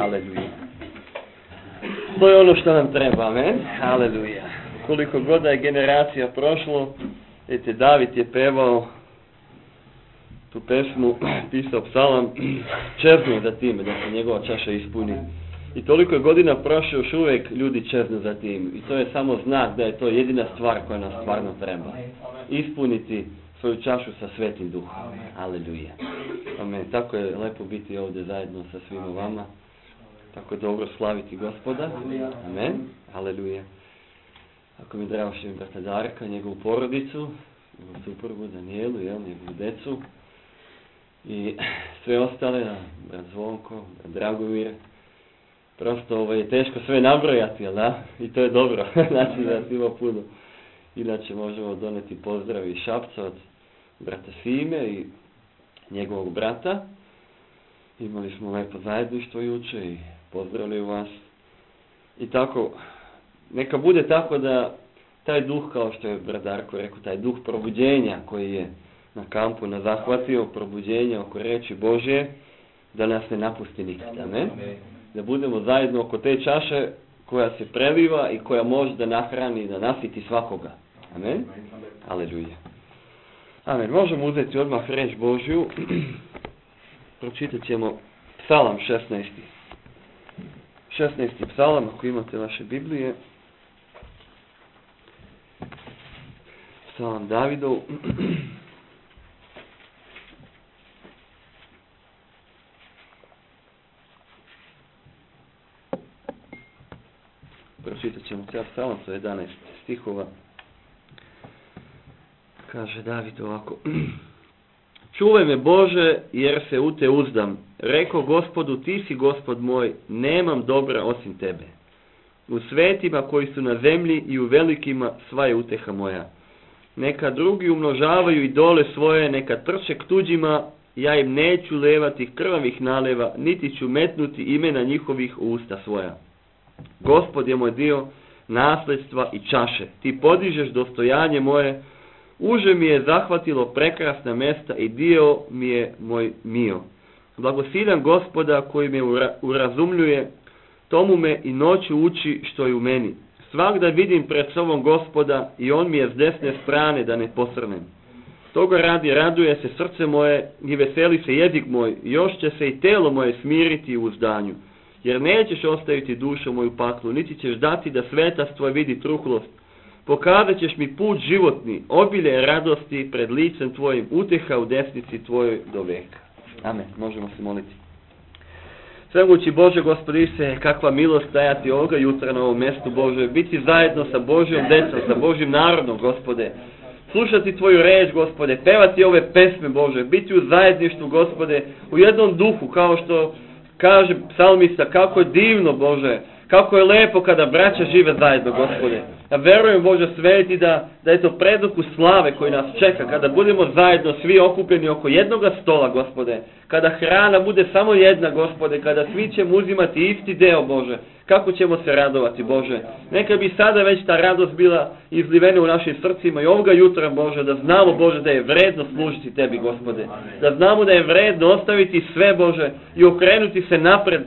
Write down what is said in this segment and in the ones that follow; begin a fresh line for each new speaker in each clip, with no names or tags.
Aleluja. To je ono što nam treba, amen. Aleluja. Koliko god je generacija prošlo, vidite, David je pevao tu pesmu, pisao psalam, čeznu za time da se njegova čaša ispuni. I toliko je godina prošlo, još uvijek ljudi čeznu za tim. I to je samo znak da je to jedina stvar koja nam stvarno treba. Ispuniti svoju čašu sa Svetim Duhom. Aleluja. Amen. Tako je lepo biti ovdje zajedno sa svima vama. Tako je dobro slaviti Gospoda. Amen. Aleluja. Ako mi drago što im brata Darka, njegovu porodicu, njegovu suprugu Danijelu, njegovu decu i sve ostale, brat Zvonko, brat Dragomir. Prosto je teško sve nabrojati, jel da? I to je dobro. Znači da ima puno. Inače možemo doneti pozdrav iz Šapca od brata Sime i njegovog brata. Imali smo lepo zajedništvo juče i pozdravljaju vas. I tako, neka bude tako da taj duh, kao što je brat Darko rekao, taj duh probuđenja koji je na kampu nas zahvatio, probuđenja oko reči Božje, da nas ne napusti nikada. Amen. Da budemo zajedno oko te čaše koja se preliva i koja može da nahrani i da nasiti svakoga. Amen. Aleluja. Amen. Možemo uzeti odmah reč Božju. Pročitat ćemo Psalam 16. 16. psalam, ako imate vaše Biblije. Psalam Davidov. Pročitat ćemo cijel psalam, to je 11 stihova. Kaže David ovako. Čuvaj me Bože, jer se u te uzdam. Reko Gospodu, ti si Gospod moj, nemam dobra osim tebe. U svetima koji su na zemlji i u velikima sva je uteha moja. Neka drugi umnožavaju idole svoje, neka trče k tuđima, ja im neću levati krvavih naleva, niti ću metnuti imena njihovih u usta svoja. Gospod je moj dio nasljedstva i čaše. Ti podižeš dostojanje moje, uže mi je zahvatilo prekrasna mesta i dio mi je moj mio. Blagosiljam Gospoda koji me urazumljuje, tomu me i noću uči što je u meni. Svagda vidim pred sobom Gospoda i on mi je s desne strane da ne posrnem. Toga radi raduje se srce moje i veseli se jezik moj, još će se i telo moje smiriti u uzdanju. Jer nećeš ostaviti dušu moju paklu, niti ćeš dati da svetac tvoj vidi truhlost. Pokazat ćeš mi put životni, obilje radosti pred licem tvojim, uteha u desnici tvojoj do veka. Amen. Možemo se moliti. Svemogući Bože, Gospodi se, kakva milost stajati ovoga jutra na ovom mjestu, Bože, biti zajedno sa Božjom decom, sa Božjim narodom, Gospode. Slušati Tvoju reč, Gospode, pevati ove pesme, Bože, biti u zajedništvu, Gospode, u jednom duhu, kao što kaže psalmista, kako je divno, Bože, kako je lepo kada braća žive zajedno, Gospode. Ja verujem, Bože sveti, da je to preduhu slave koji nas čeka, kada budemo zajedno svi okupljeni oko jednoga stola, Gospode. Kada hrana bude samo jedna, Gospode, kada svi ćemo uzimati isti deo, Bože. Kako ćemo se radovati, Bože. Neka bi sada već ta radost bila izlivena u našim srcima i ovoga jutra, Bože, da znamo, Bože, da je vredno služiti Tebi, Gospode. Da znamo da je vredno ostaviti sve, Bože, i okrenuti se napred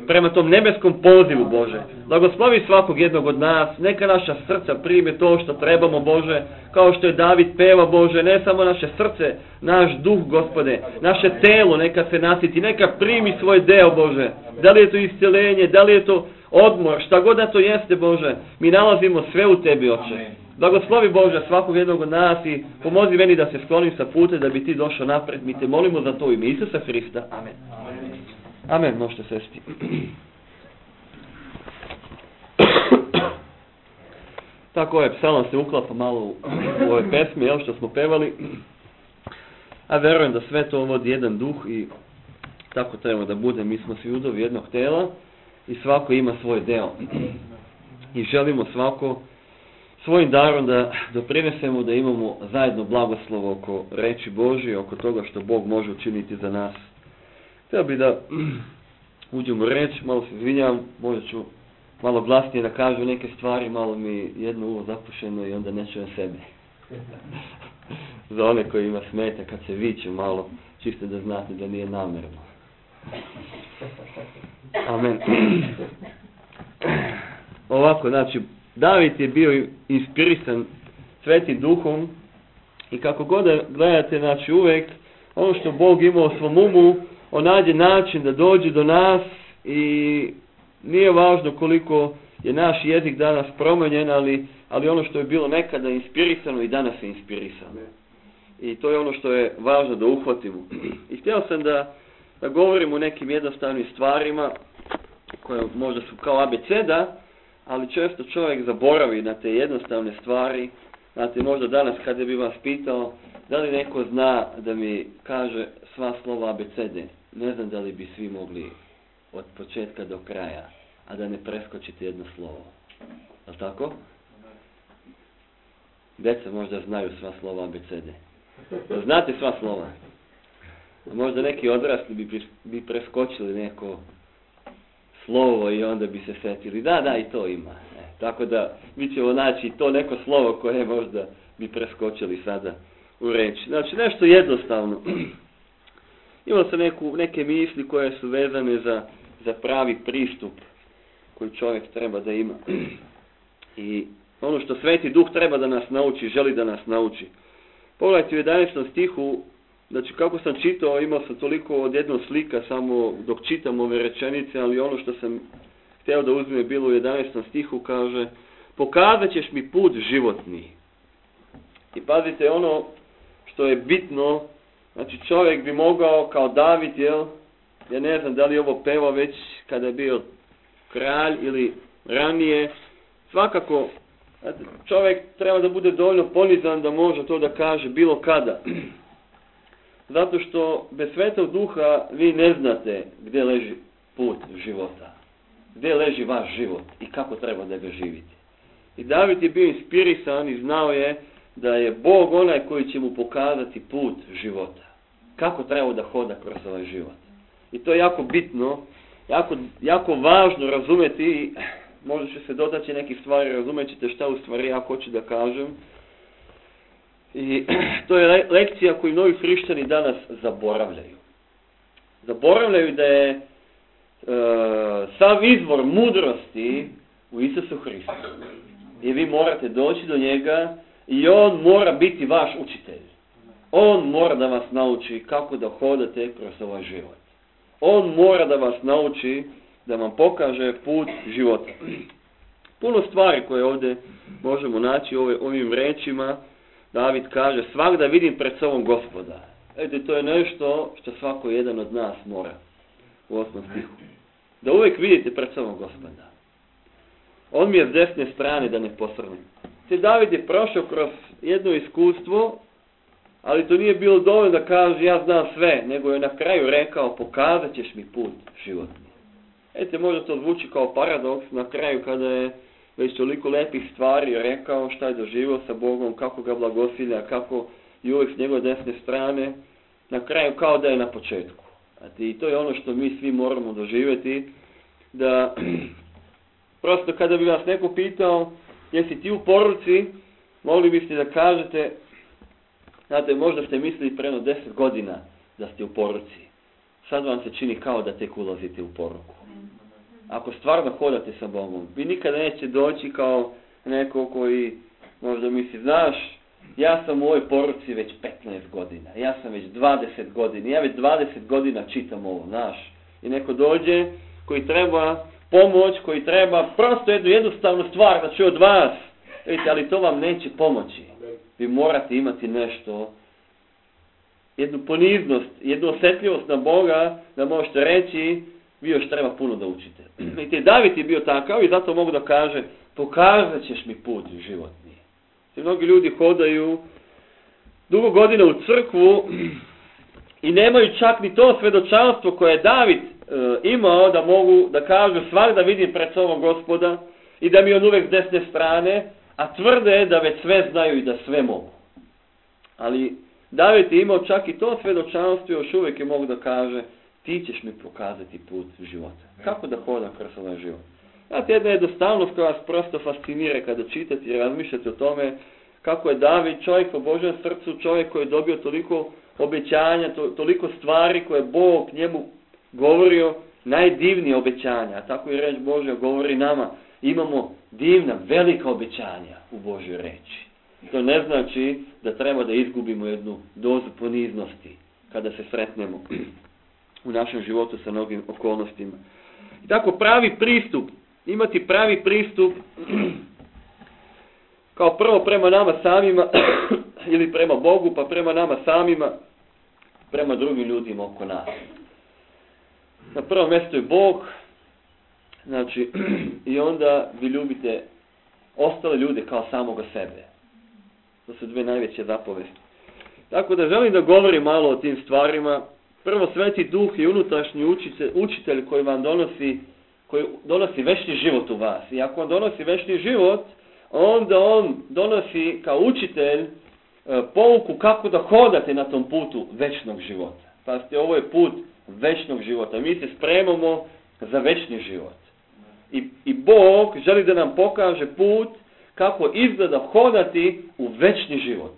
prema tom nebeskom pozivu, Bože. Blagoslovi svakog jednog od nas, neka naša srca prime to što trebamo, Bože, kao što je David peva, Bože, ne samo naše srce, naš duh, Gospode, naše telo neka se nasiti, neka primi svoj deo, Bože. Da li je to iscjelenje, da li je to odmor, šta god da to jeste, Bože, mi nalazimo sve u Tebi, Oče. Blagoslovi, Bože, svakog jednog od nas i pomozi meni da se sklonim sa puta da bi Ti došao napred. Mi Te molimo za to u ime Isusa Hrista. Amen. Amen, možete sesti. Tako je, psalam se uklapa malo u ove pesme, jel, što smo pevali. A verujem da sve to vodi jedan duh i tako treba da bude. Mi smo svi udovi jednog tela i svako ima svoj deo. I želimo svako svojim darom da doprinesemo da imamo zajedno blagoslov oko reči Božje, oko toga što Bog može učiniti za nas. Htio bi da uđemo u reč, malo se izvinjavam, možda ću malo glasnije da kažu neke stvari, malo mi jedno uvo zapušeno i onda ne čujem sebe. Za one koji ima smeta kad se viče malo, čisto da znate da nije namjerno. Amen. Ovako, znači, David je bio inspirisan Svetim Duhom i kako god da gledate, znači uvek ono što Bog ima u svom umu, on nađe način da dođe do nas i nije važno koliko je naš jezik danas promenjen, ali ono što je bilo nekada inspirisano i danas je inspirisano. I to je ono što je važno da uhvatimo. I htio sam da govorim o nekim jednostavnim stvarima koje možda su kao abeceda, ali često čovjek zaboravi na te jednostavne stvari. Znate, možda danas kada bi vas pitao da li neko zna da mi kaže sva slova abecede, ne znam da li bi svi mogli od početka do kraja, a da ne preskočite jedno slovo. Je li tako? Deca možda znaju sva slova abecede. Znate sva slova? A možda neki odrasli bi preskočili neko slovo i onda bi se setili. Da, i to ima. Tako da mi ćemo naći to neko slovo koje možda bi preskočili sada u reči. Znači nešto jednostavno. Imao sam neke misli koje su vezane za pravi pristup koji čovjek treba da ima. I ono što Sveti Duh treba da nas nauči, želi da nas nauči. Pogledajte u 11. stihu, znači kako sam čitao, imao sam toliko od jednog slika samo dok čitam ove rečenice, ali ono što sam htio da uzme je bilo u 11. stihu, kaže: pokazat ćeš mi put životni. I pazite ono što je bitno, znači čovjek bi mogao kao David, ja ne znam da li ovo pevao već kada je bio kralj ili ranije, svakako čovjek treba da bude dovoljno ponizan da može to da kaže bilo kada. Zato što bez Svetog Duha vi ne znate gdje leži put života. Gdje leži vaš život i kako treba da ga živite. I David je bio inspirisan i znao je da je Bog onaj koji će mu pokazati put života. Kako treba da hoda kroz ovaj život. I to je jako bitno, jako važno razumeti. Možda će se dotaći nekih stvari, razumet ćete šta u stvari ja hoću da kažem. I to je lekcija koju novi hrišćani danas zaboravljaju. Zaboravljaju da je sav izvor mudrosti u Isusu Hristu. I vi morate doći do njega i on mora biti vaš učitelj. On mora da vas nauči kako da hodate kroz ovaj život. On mora da vas nauči, da vam pokaže put života. Puno stvari koje ovdje možemo naći ovim rečima. David kaže: svagda vidim pred sobom Gospoda. To je nešto što svako jedan od nas mora. U 8. stihu. Da uvijek vidite pred sobom Gospoda. On mi je s desne strane da ne posrnem. David je prošao kroz jedno iskustvo, ali to nije bilo dovoljno da kaže ja znam sve, nego je na kraju rekao: pokazat ćeš mi put životni. Možda to zvuči kao paradoks na kraju kada je već toliko lepih stvari rekao, šta je doživio sa Bogom, kako ga blagosilja, kako je uvijek s njegove desne strane, na kraju kao da je na početku. I to je ono što mi svi moramo doživjeti, da prosto kada bi vas neko pitao jesi ti u poruci, mogli biste da kažete, znate, možda ste mislili preno 10 godina da ste u poruci. Sad vam se čini kao da tek ulazite u poruku. Ako stvarno hodate sa Bogom, vi nikada neće doći kao neko koji možda misli, znaš, ja sam u ovoj poruci već 15 godina, ja sam već 20 godina, ja već 20 godina čitam ovo, znaš. I neko dođe koji treba pomoć, koji treba prosto jednu jednostavnu stvar da čuje od vas, vidite, ali to vam neće pomoći. Vi morate imati nešto, jednu poniznost, jednu osjetljivost na Boga, da možete reći, vi još treba puno da učite. I David je bio takav i zato mogu da kaže, pokazat ćeš mi put životni. I mnogi ljudi hodaju dugo godina u crkvu i nemaju čak ni to svedočanstvo koje je David imao, da mogu da kažu svagda vidim pred sobom Gospoda i da mi on uvek s desne strane, a tvrde da već sve znaju i da sve mogu. Ali David je imao čak i to svedočanstvo i još uvijek je mogu da kaže, ti ćeš mi pokazati put života. Kako da hodam kroz ovaj život? Znate, jedna jednostavnost koja vas prosto fascinira kada čitate i razmišljate o tome kako je David čovjek po Božjem srcu, čovjek koji je dobio toliko obećanja, toliko stvari koje je Bog njemu govorio, najdivnije obećanja. A tako i reč Božja govori nama. Imamo divna, velika obećanja u Božjoj reči. To ne znači da treba da izgubimo jednu dozu poniznosti kada se sretnemo u našem životu sa mnogim okolnostima. I tako pravi pristup, imati pravi pristup kao prvo prema nama samima ili prema Bogu, pa prema nama samima, prema drugim ljudima oko nas. Na prvom mjestu je Bog, znači, i onda vi ljubite ostale ljude kao samoga sebe. To su dve najveće zapovesti. Tako da želim da govorim malo o tim stvarima. Prvo, Sveti Duh je unutrašnji učitelj koji vam donosi večni život u vas. I ako on donosi večni život, onda on donosi kao učitelj pouku kako da hodate na tom putu večnog života. Pazite, ovo je put večnog života. Mi se spremamo za večni život. I Bog želi da nam pokaže put kako izgleda hodati u večni život.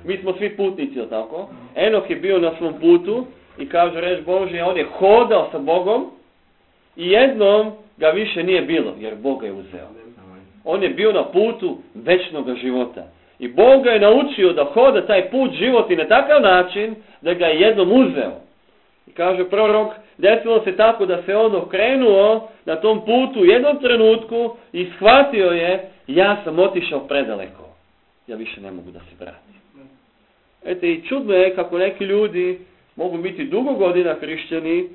Mi smo svi putnici, jel tako? Enoh je bio na svom putu i kaže reč Božja, on je hodao sa Bogom i jednom ga više nije bilo, jer Bog ga je uzeo. On je bio na putu večnog života. I Bog ga je naučio da hoda taj put života na takav način da ga je jednom uzeo. I kaže prorok, desilo se tako da se on okrenuo na tom putu u jednom trenutku i shvatio je, ja sam otišao predaleko. Ja više ne mogu da se vratim. Eto i čudno je kako neki ljudi mogu biti dugo godina hrišćani,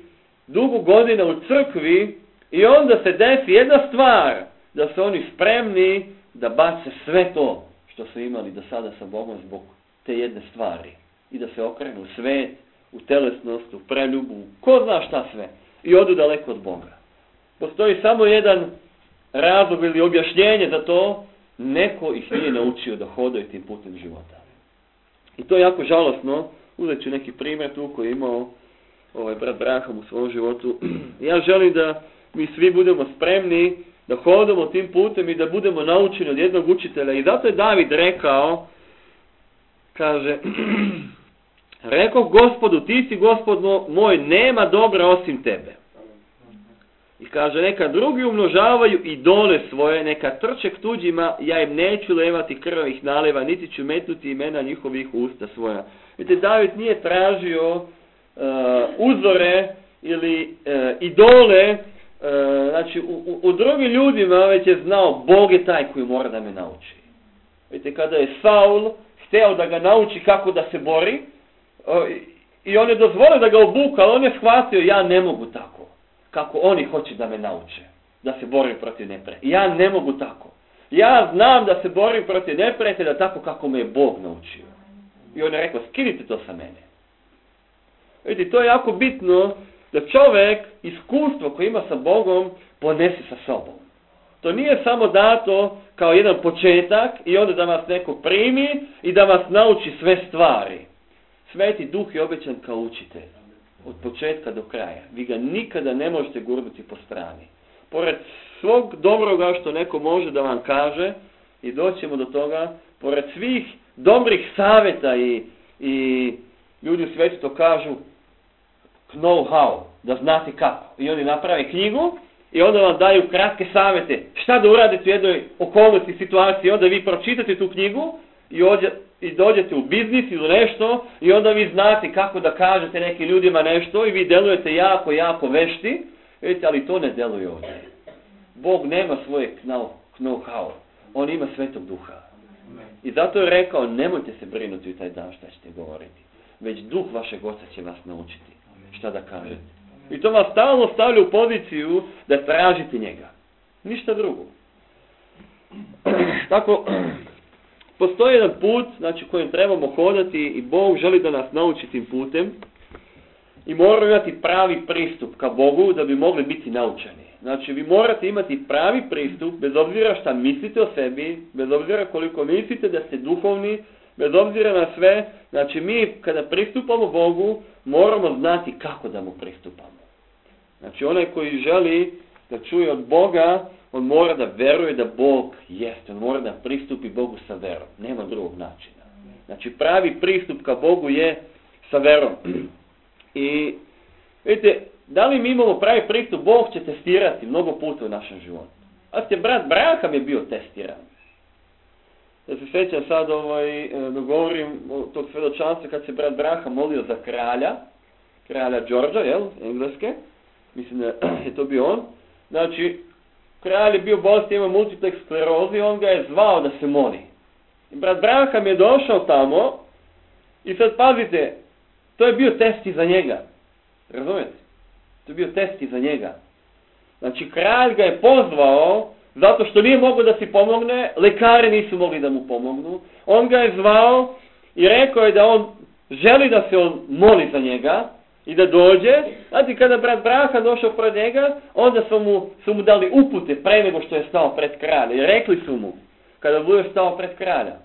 dugo godina u crkvi i onda se desi jedna stvar, da su oni spremni da bace sve to što su imali do sada sa Bogom zbog te jedne stvari. I da se okrenu u svet, u telesnost, u preljubu, ko zna šta sve. I odu daleko od Boga. Postoji samo jedan razlog ili objašnjenje za to, neko ih nije naučio da hodaju tim putem života. I to je jako žalosno. Uzet ću neki primjer tu koji je imao brat Braham u svom životu. Ja želim da mi svi budemo spremni da hodamo tim putem i da budemo naučeni od jednog učitelja. I zato je David rekao, kaže, rekao Gospodu, ti si Gospod moj, nema dobra osim tebe. I kaže, neka drugi umnožavaju idole svoje, neka trče k tuđima, ja im neću levati krvavih naleva, niti ću metnuti imena njihovih usta svoja. Vidite, David nije tražio uzore ili idole, znači u drugim ljudima, već je znao, Bog je taj koji mora da me nauči. Vidite, kada je Saul hteo da ga nauči kako da se bori, i on je dozvolio da ga obuka, ali on je shvatio, ja ne mogu tako. Kako oni hoće da me nauče, da se borim protiv neprijatelja. Ja ne mogu tako. Ja znam da se borim protiv neprijatelja tako kako me je Bog naučio. I on je rekao, skinite to sa mene. Vidite, to je jako bitno da čovjek iskustvo koje ima sa Bogom ponese sa sobom. To nije samo dato kao jedan početak i onda da vas neko primi i da vas nauči sve stvari. Sveti Duh je obećan kao učitelj. Od početka do kraja. Vi ga nikada ne možete gurnuti po strani. Pored svog dobroga što neko može da vam kaže, i doćemo do toga, pored svih dobrih savjeta i ljudi u svijetu to kažu know how, da znate kako. I oni naprave knjigu i onda vam daju kratke savjete šta da uradite u jednoj okolnosti, situaciji. Onda vi pročitate tu knjigu i dođete u biznis ili nešto i onda vi znate kako da kažete nekim ljudima nešto i vi delujete jako, jako vešti. Vidite, ali to ne deluje ovdje. Bog nema svoje know-how. On ima Svetog Duha. I zato je rekao, nemojte se brinuti u taj dan šta ćete govoriti. Već Duh vašeg Oca će vas naučiti šta da kažete. I to vas stalno stavlja u poziciju da tražite njega. Ništa drugo. Tako, postoji jedan put, znači, kojim trebamo hodati i Bog želi da nas nauči tim putem i moramo imati pravi pristup ka Bogu da bi mogli biti naučeni. Znači, vi morate imati pravi pristup, bez obzira šta mislite o sebi, bez obzira koliko mislite da ste duhovni, bez obzira na sve. Znači, mi kada pristupamo Bogu, moramo znati kako da mu pristupamo. Znači, onaj koji želi da čuje od Boga, on mora da veruje da Bog jeste. On mora da pristupi Bogu sa verom. Nema drugog načina. Znači, pravi pristup ka Bogu je sa verom. I vidite, da li mi imamo pravi pristup, Bog će testirati mnogo puta u našem životu. A brat Braham je bio testiran. Ja se sjećam sad, da govorim o tog svjedočanstva kad se brat Braham molio za kralja Đorđa, engleske, mislim da je to bio on. Znači, kralj je bio bolestan, imao multiplex sklerozi, on ga je zvao da se moli. I brat Braham je došao tamo i sad pazite, to je bio test i za njega. Razumijete? To je bio test i za njega. Znači, kralj ga je pozvao zato što nije mogao da si pomogne, lekari nisu mogli da mu pomognu. On ga je zvao i rekao je da on želi da se on moli za njega i da dođe. Znači, kada brat Braham došao pred njega, onda su mu dali upute pre nego što je stao pred kralja. I rekli su mu, kada budeš stao pred kralja,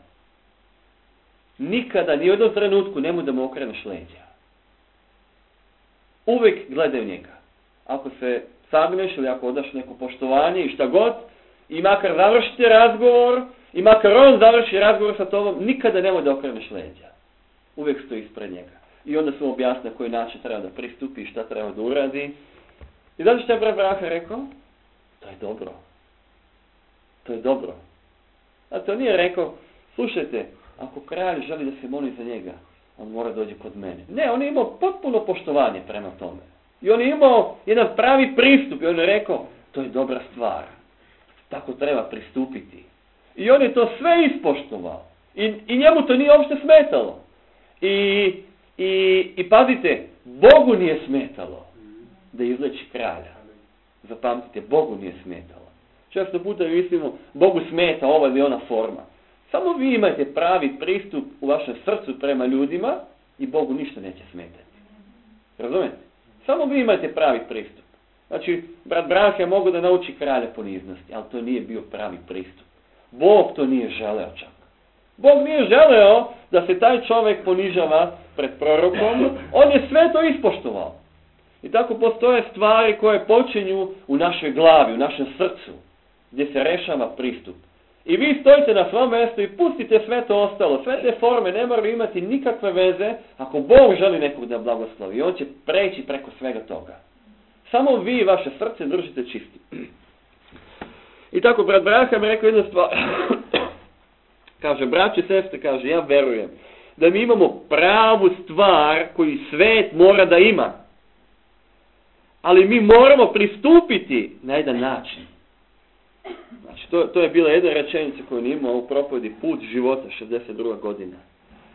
nikada, ni u jednom trenutku, nemoj da mu okreneš leđa. Uvijek gledaj njega. Ako se sagneš ili ako odaš neko poštovanje i šta god, i makar završite razgovor, i makar on završi razgovor sa tobom, nikada nemoj da okreneš leđa. Uvijek stoji ispred njega. I onda su mu objasnili na koji način treba da pristupi i šta treba da uradi. I zato što je brat Braham rekao, to je dobro. To je dobro. A to nije rekao, slušajte, ako kralj želi da se moli za njega, on mora dođi kod mene. Ne, on je imao potpuno poštovanje prema tome. I on je imao jedan pravi pristup i on je rekao, to je dobra stvar. Tako treba pristupiti. I on je to sve ispoštovao. I njemu to nije uopšte smetalo. I pazite, Bogu nije smetalo da izleči kralja. Zapamtite, Bogu nije smetalo. Često puta mislimo, Bogu smeta ova ili ona forma. Samo vi imate pravi pristup u vašem srcu prema ljudima i Bogu ništa neće smetati. Razumete? Samo vi imate pravi pristup. Znači, brat Braham je mogao da nauči kralja poniznosti, ali to nije bio pravi pristup. Bog to nije želeo čak. Bog nije želeo da se taj čovjek ponižava pred prorokom, on je sve to ispoštovao. I tako postoje stvari koje počinju u našoj glavi, u našem srcu, gdje se rešava pristup. I vi stojite na svom mjestu i pustite sve to ostalo. Sve te forme ne moraju imati nikakve veze ako Bog želi nekog da blagoslovi. I on će preći preko svega toga. Samo vi vaše srce držite čisti. I tako brat Braham rekao jednu stvar. Kaže, braći i sestre, kaže, ja verujem da mi imamo pravu stvar koju svet mora da ima. Ali mi moramo pristupiti na jedan način. Znači, to je bila jedna rečenica koju on imao u propovedi Put života, 62. godina.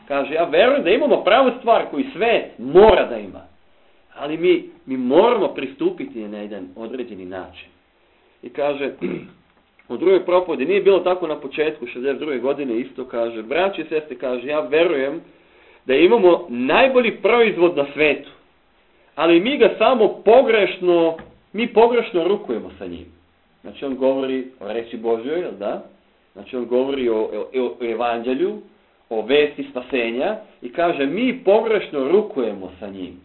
Kaže, ja verujem da imamo pravu stvar koju svet mora da ima. Ali mi moramo pristupiti na jedan određeni način. I kaže, u drugoj propovedi, nije bilo tako na početku 62. godine, isto kaže, braći i sestre, kaže, ja verujem da imamo najbolji proizvod na svetu. Ali mi ga samo pogrešno rukujemo sa njim. Znači on govori o reči Božjoj, jel da? Znači on govori o evanđelju, o vesti spasenja i kaže mi pogrešno rukujemo sa njim.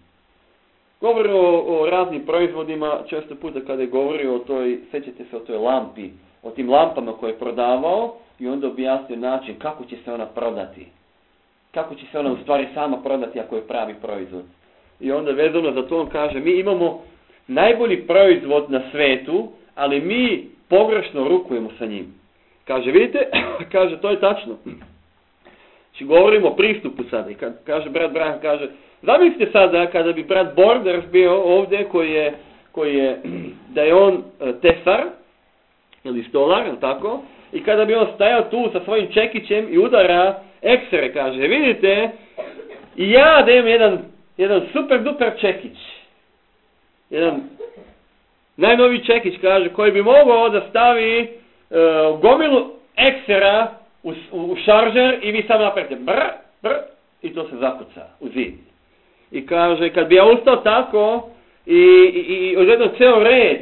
Govori o raznim proizvodima, često puta kada je govorio o toj, sećate se o toj lampi, o tim lampama koje je prodavao i onda objasnio način kako će se ona prodati. Kako će se ona u stvari sama prodati ako je pravi proizvod. I onda vezano za to on kaže mi imamo najbolji proizvod na svetu, ali mi pogrešno rukujemo sa njim. Kaže, vidite, kaže, to je tačno. Znači, govorimo o pristupu sada. I kaže, brat Braham, kaže, zamislite sada kada bi brat Borders bio ovdje koji je da je on tesar, ili stolar, tako, i kada bi on stajao tu sa svojim čekićem i udara eksere, kaže, vidite, i ja da imam jedan super duper čekić. Jedan najnoviji čekić, kaže, koji bi mogao da stavi gomilu eksera u šaržer i vi sam napravite brr, i to se zakuca u zid. I kaže, kad bi ja ustao tako i odjedno ceo red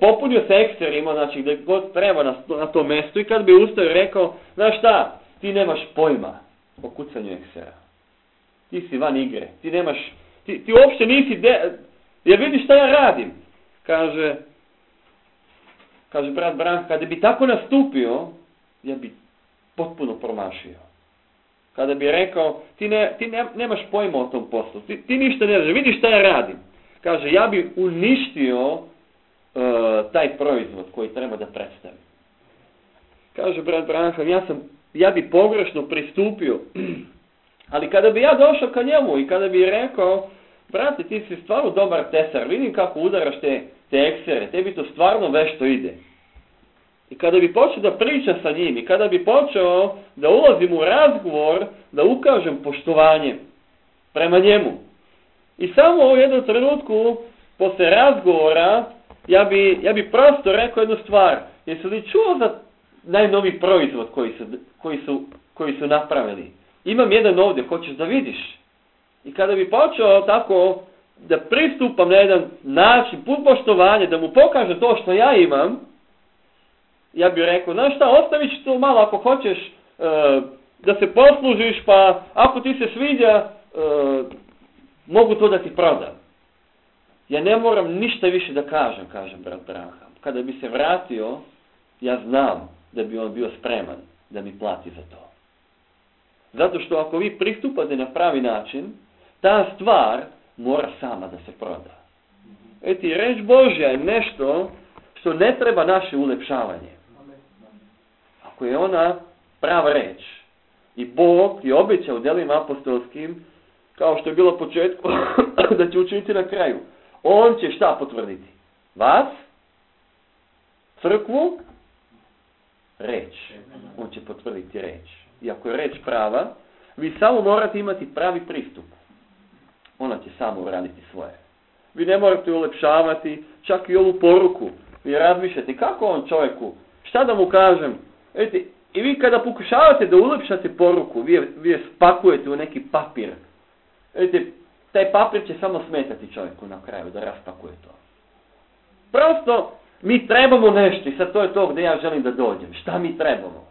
popunio se ekserima, znači gdje god treba na tom mjestu i kad bi ustao i rekao, znaš šta, ti nemaš pojma o kucanju eksera. Ti si van igre, ti uopšte nisi, jer vidiš šta ja radim. Kaže brat Braham, kada bi tako nastupio, ja bi potpuno promašio. Kada bi rekao, ti nemaš pojma o tom poslu, ti ništa ne znaš, vidiš šta ja radim. Kaže, ja bi uništio taj proizvod koji treba da predstavi. Kaže brat Branham, ja bi pogrešno pristupio, ali kada bi ja došao ka njemu i kada bi rekao, brate, ti si stvarno dobar tesar, vidim kako udaraš te eksere, tebi to stvarno vešto ide. I kada bi počeo da priča sa njim i kada bi počeo da ulazim u razgovor, da ukažem poštovanje prema njemu. I samo u jednom trenutku, posle razgovora, ja bi prosto rekao jednu stvar. Jesi li čuo za najnoviji proizvod koji su napravili? Imam jedan ovdje, hoćeš da vidiš? I kada bi počeo tako da pristupam na jedan način, put poštovanja, da mu pokažem to što ja imam, ja bih rekao, znaš šta, ostavit ću to malo ako hoćeš da se poslužiš, pa ako ti se sviđa, mogu to da ti prodam. Ja ne moram ništa više da kažem, kaže brat Branham. Kada bi se vratio, ja znam da bi on bio spreman da mi plati za to. Zato što ako vi pristupate na pravi način, ta stvar mora sama da se proda. Eti, reč Božja je nešto što ne treba naše ulepšavanje. Ako je ona prava reč i Bog je obećao u djelima apostolskim, kao što je bilo početku, da će učiniti na kraju. On će šta potvrditi? Vas? Crkvu? Reč. On će potvrditi reč. I ako je reč prava, vi samo morate imati pravi pristup. Ona će samo uraditi svoje. Vi ne morate ulepšavati čak i ovu poruku. Vi razmišljate kako on čovjeku, šta da mu kažem? Vidite, i vi kada pokušavate da ulepšate poruku, vi je spakujete u neki papir. Vidite, taj papir će samo smetati čovjeku na kraju da raspakuje to. Prosto mi trebamo nešto i sad to je to gdje ja želim da dođem. Šta mi trebamo?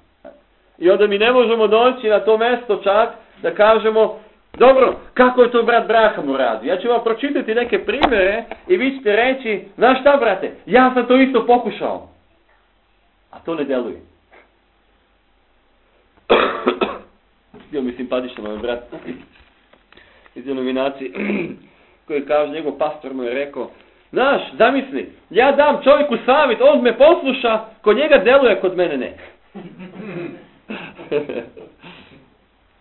I onda mi ne možemo doći na to mjesto čak da kažemo, dobro, kako je to brat Branham uradio? Ja ću vam pročitati neke primjere i vi ćete reći, znaš šta brate, ja sam to isto pokušao. A to ne deluje. Bio mi simpatično moj brat iz denominacije koji kaže, njegov pastor mu je rekao, znaš, zamisli, ja dam čovjeku savjet, on me posluša, kod njega deluje, kod mene ne.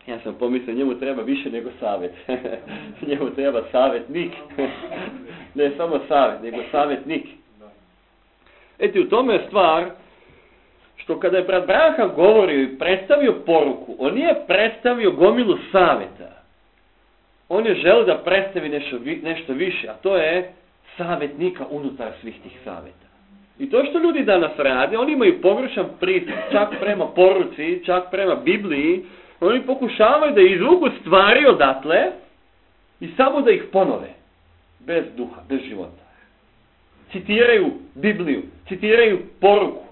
Ja sam pomislio, njemu treba više nego savjet. Njemu treba savjetnik. Ne samo savjet, nego savjetnik. Eti, u tome je stvar što kada je brat Branham govorio i predstavio poruku, on nije predstavio gomilu savjeta. On je želio da predstavi nešto više, a to je savjetnika unutar svih tih savjeta. I to što ljudi danas rade, oni imaju pogrešan pristup čak prema poruci, čak prema Bibliji. Oni pokušavaju da izvuku stvari odatle i samo da ih ponove. Bez duha, bez života. Citiraju Bibliju, citiraju poruku.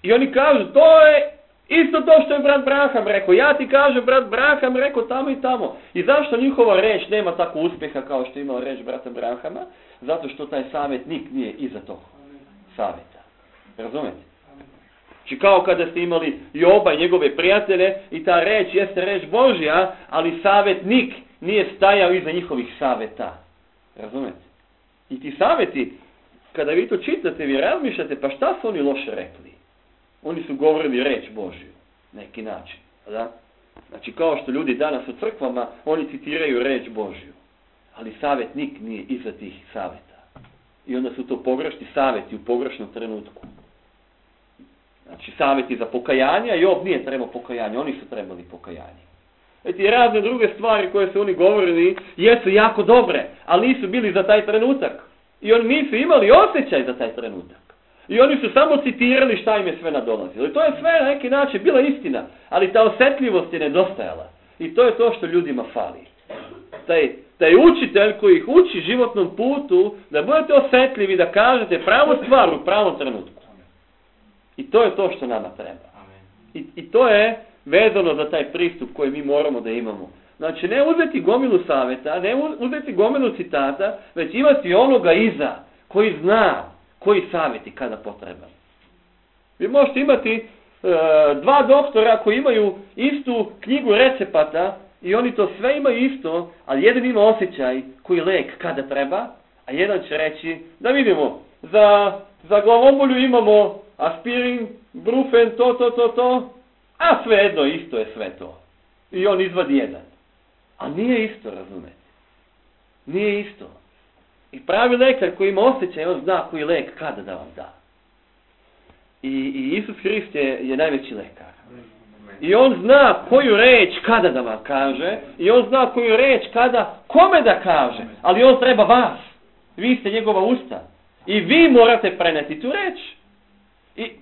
I oni kažu, to je isto to što je brat Branham rekao. Ja ti kažem, brat Branham rekao tamo i tamo. I zašto njihova reč nema tako uspjeha kao što je imala reč brata Branhama? Zato što taj savjetnik nije iza tog savjeta. Razumete? Znači kao kada ste imali Joba i njegove prijatelje i ta reč jeste reč Božja, ali savjetnik nije stajao iza njihovih savjeta. Razumete? I ti savjeti, kada vi to čitate, vi razmišljate, pa šta su oni loše rekli? Oni su govorili reč Božju, neki način. Da? Znači kao što ljudi danas u crkvama, oni citiraju reč Božju. Ali savjetnik nije iza tih savjeta. I onda su to pogrešni savjeti u pogrešnom trenutku. Znači savjeti za pokajanje, a Job nije trebao pokajanje, oni su trebali pokajanje. Eti razne druge stvari koje su oni govorili jesu jako dobre, ali nisu bili za taj trenutak. I oni nisu imali osjećaj za taj trenutak. I oni su samo citirali šta im je sve nadolazilo. I to je sve na neki način bila istina, ali ta osjetljivost je nedostajala. I to je to što ljudima fali. Taj učitelj koji ih uči životnom putu, da budete osjetljivi, da kažete pravu stvar u pravom trenutku. I to je to što nama treba. I to je vezano za taj pristup koji mi moramo da imamo. Znači ne uzeti gomilu savjeta, ne uzeti gomilu citata, već imati onoga iza koji zna koji savjeti kada potreban. Vi možete imati dva doktora koji imaju istu knjigu recepata i oni to sve imaju isto, ali jedan ima osjećaj koji lek kada treba, A jedan će reći, da vidimo, za glavobolju imamo aspirin, brufen, to, a svejedno isto je sve to. I on izvadi jedan. A nije isto, razumete. Nije isto. I pravi lekar koji ima osjećaj, on zna koji lek kada da vam da. I Isus Hrist je najveći lekar. I on zna koju reč kada da vam kaže, i on zna koju reč kada, kome da kaže, ali on treba vas. Vi ste njegova usta. I vi morate preneti tu reč.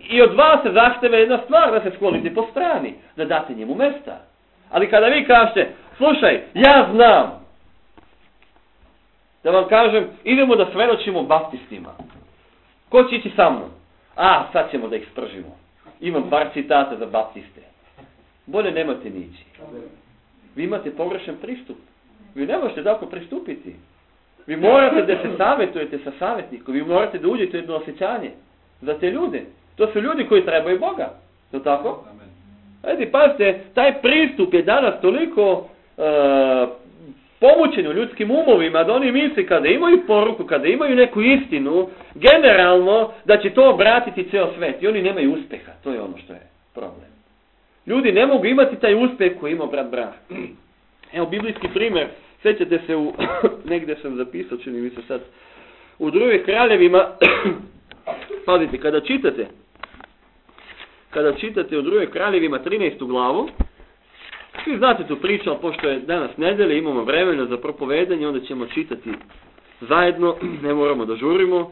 I od vas se zahteva jedna stvar, da se sklonite po strani, da date njemu mesta. Ali kada vi kažete, slušaj, ja znam, da vam kažem, idemo da svedočimo baptistima. Ko će ići sa mnom? Sad ćemo da ih spržimo. Imam par citata za baptiste. Bolje nemate ni ići. Vi imate pogrešan pristup. Vi ne možete tako pristupiti. Vi morate da se savjetujete sa savjetnikom. Vi morate da uđete u jedno osjećanje za te ljude. To su ljudi koji trebaju Boga. Je li tako? Ajde, pazite, taj pristup je danas toliko pomućen u ljudskim umovima da oni misle kada imaju poruku, kada imaju neku istinu, generalno da će to obratiti ceo svet. I oni nemaju uspeha. To je ono što je problem. Ljudi ne mogu imati taj uspeh koji ima brat Brah. Evo, biblijski primjer. Sjećate se negdje sam zapisao, čini mi se sad, u Drugim kraljevima, pazite, kada čitate u Drugim kraljevima 13. glavu, svi znate tu priču, ali pošto je danas nedelja, imamo vremena za propovedanje, onda ćemo čitati zajedno, ne moramo da žurimo,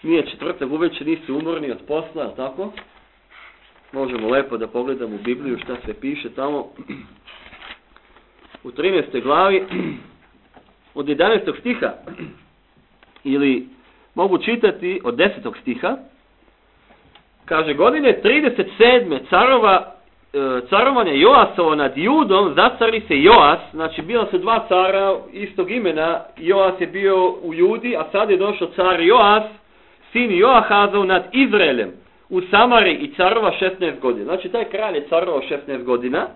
nije četvrtak uveče, nisi umorni od posla, ali tako? Možemo lepo da pogledamo u Bibliju šta se piše tamo. U 13. glavi, od 11. stiha, ili mogu čitati od 10. stiha, kaže, godine 37. carovanja Joasova nad Judom, zacari se Joas, znači bila su dva cara istog imena, Joas je bio u Judi, a sad je došao car Joas, sin Joahazov nad Izraelem, u Samari i carova 16 godina. Znači taj kralj je carovao 16 godina.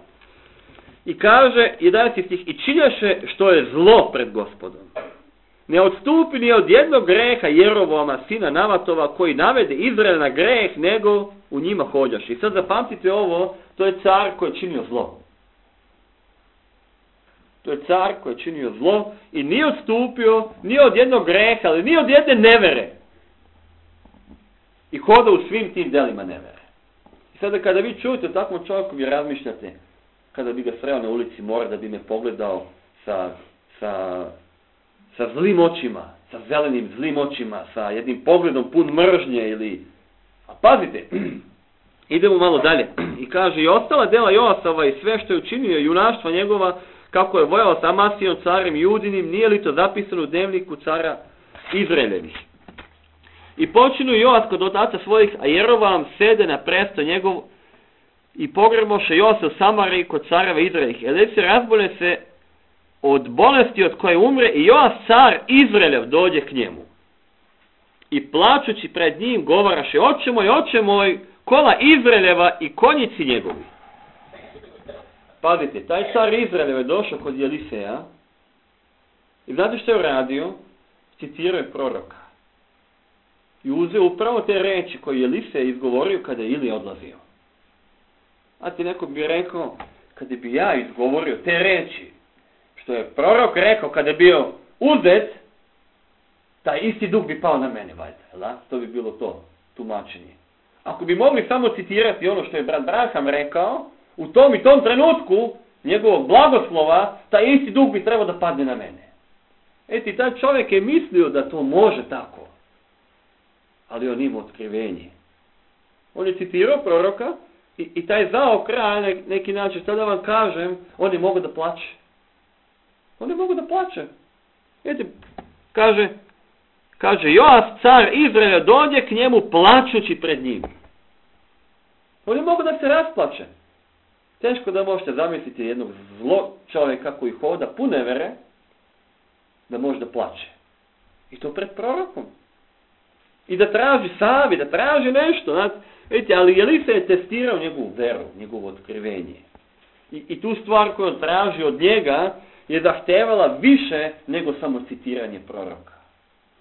I kaže, 11. stih, i činjaše što je zlo pred Gospodom. Ne odstupi ni od jednog greha Jeroboama, sina Navatova, koji navede Izrael na greh, nego u njima hođaš. I sad zapamtite ovo, to je car koji je činio zlo. To je car koji je činio zlo i nije odstupio ni od jednog greha, ali ni od jedne nevere. I hoda u svim tim delima nevere. I sada kada vi čujete o takvom čovjeku, vi razmišljate, kada bi ga sreo na ulici, mora da bi me pogledao sa zlim očima, sa zelenim zlim očima, sa jednim pogledom pun mržnje ili... A pazite, idemo malo dalje. I kaže, i ostala dela Joasova i sve što je učinio, junaštva njegova, kako je vojao sa Amasijom, carem Judinim, nije li to zapisano u dnevniku cara Izraelevih. I počinu Joas kod otaca svojih, a Jeroboam sede na presto njegov i pogreboše Joasa u Samari kod careva Izraelih. Eli se razbole se od bolesti od koje umre i Joas car Izraelev dođe k njemu. I plačući pred njim govaraše, oče moj, kola Izraeljeva i konjici njegovi. Pazite, taj car Izraelev je došao kod Eliseja i znate što je uradio? Citirao je proroka. I uzeo upravo te reči koje je Elisej izgovorio kada je Ilija odlazio. A ti neko bi rekao, kada bi ja izgovorio te reči, što je prorok rekao kada je bio uzet, taj isti duh bi pao na mene, valjda. To bi bilo to, tumačenje. Ako bi mogli samo citirati ono što je brat Braham rekao, u tom i tom trenutku njegovog blagoslova, taj isti duh bi trebao da padne na mene. Eti, taj čovjek je mislio da to može tako. Ali on ima otkrivenje. On je citirao proroka i taj zao kralj, neki način, šta da vam kažem, on je mogao da plače. On je mogao da plače. Eti, kaže Joas, car Izraela, dođe k njemu plačući pred njim. On je mogao da se rasplače. Teško da možete zamisliti jednog zlo čovjeka koji hoda pune vere, da može da plače. I to pred prorokom. I da traži savjet, da traži nešto. Znači, vidite, ali Elisa je testirao njegovu veru, njegovo otkrivenje. I tu stvar koju on traži od njega je zahtevala više nego samo citiranje proroka.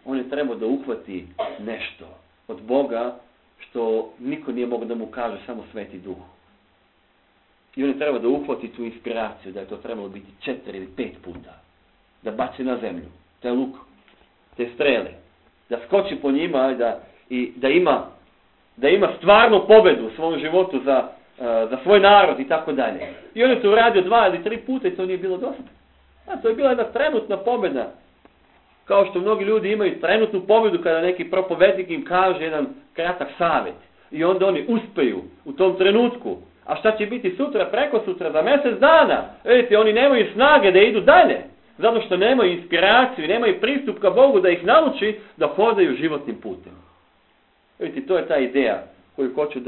On je trebao da uhvati nešto od Boga što niko nije mogao da mu kaže, samo Sveti Duh. I on je trebao da uhvati tu inspiraciju, da je to trebalo biti 4 ili 5 puta. Da baci na zemlju, taj luk, te strele, da skoči po njima i da ima stvarnu pobedu u svom životu za svoj narod i tako dalje. I on je to uradio 2 ili 3 puta i to nije bilo dosta. To je bila jedna trenutna pobeda. Kao što mnogi ljudi imaju trenutnu pobedu kada neki propovednik im kaže jedan kratak savjet. I onda oni uspeju u tom trenutku. A šta će biti sutra, preko sutra, za mjesec dana? Vidite, oni nemaju snage da idu dalje. Zato što nemaju inspiraciju i nemaju pristup ka Bogu da ih nauči da hodaju životnim putem. Vidite, to je ta ideja koju hoću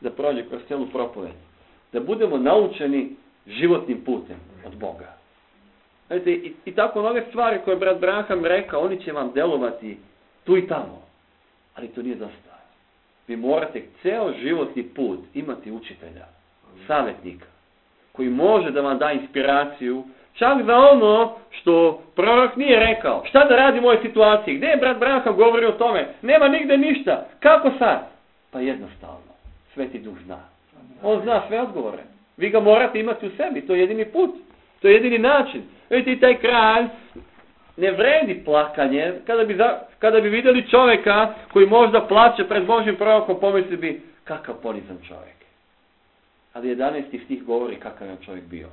da prođe kroz cijelu propoved. Da budemo naučeni životnim putem od Boga. Vidite, i tako mnoge stvari koje je brat Branham rekao, oni će vam delovati tu i tamo. Ali to nije dosta. Vi morate ceo životni put imati učitelja, savjetnika, koji može da vam da inspiraciju, čak za ono što prorok nije rekao. Šta da radi u ovoj situaciji? Gdje je brat Branham govorio o tome? Nema nigde ništa. Kako sad? Pa jednostavno. Sveti Duh zna. On zna sve odgovore. Vi ga morate imati u sebi. To je jedini put. To je jedini način. Vidite, taj kralj ne vredi plakanje. Kada bi vidjeli čovjeka koji možda plače pred Božim prorokom, pomisli bi kakav ponizan čovjek. Ali 11. stih govori kakav je čovjek bio.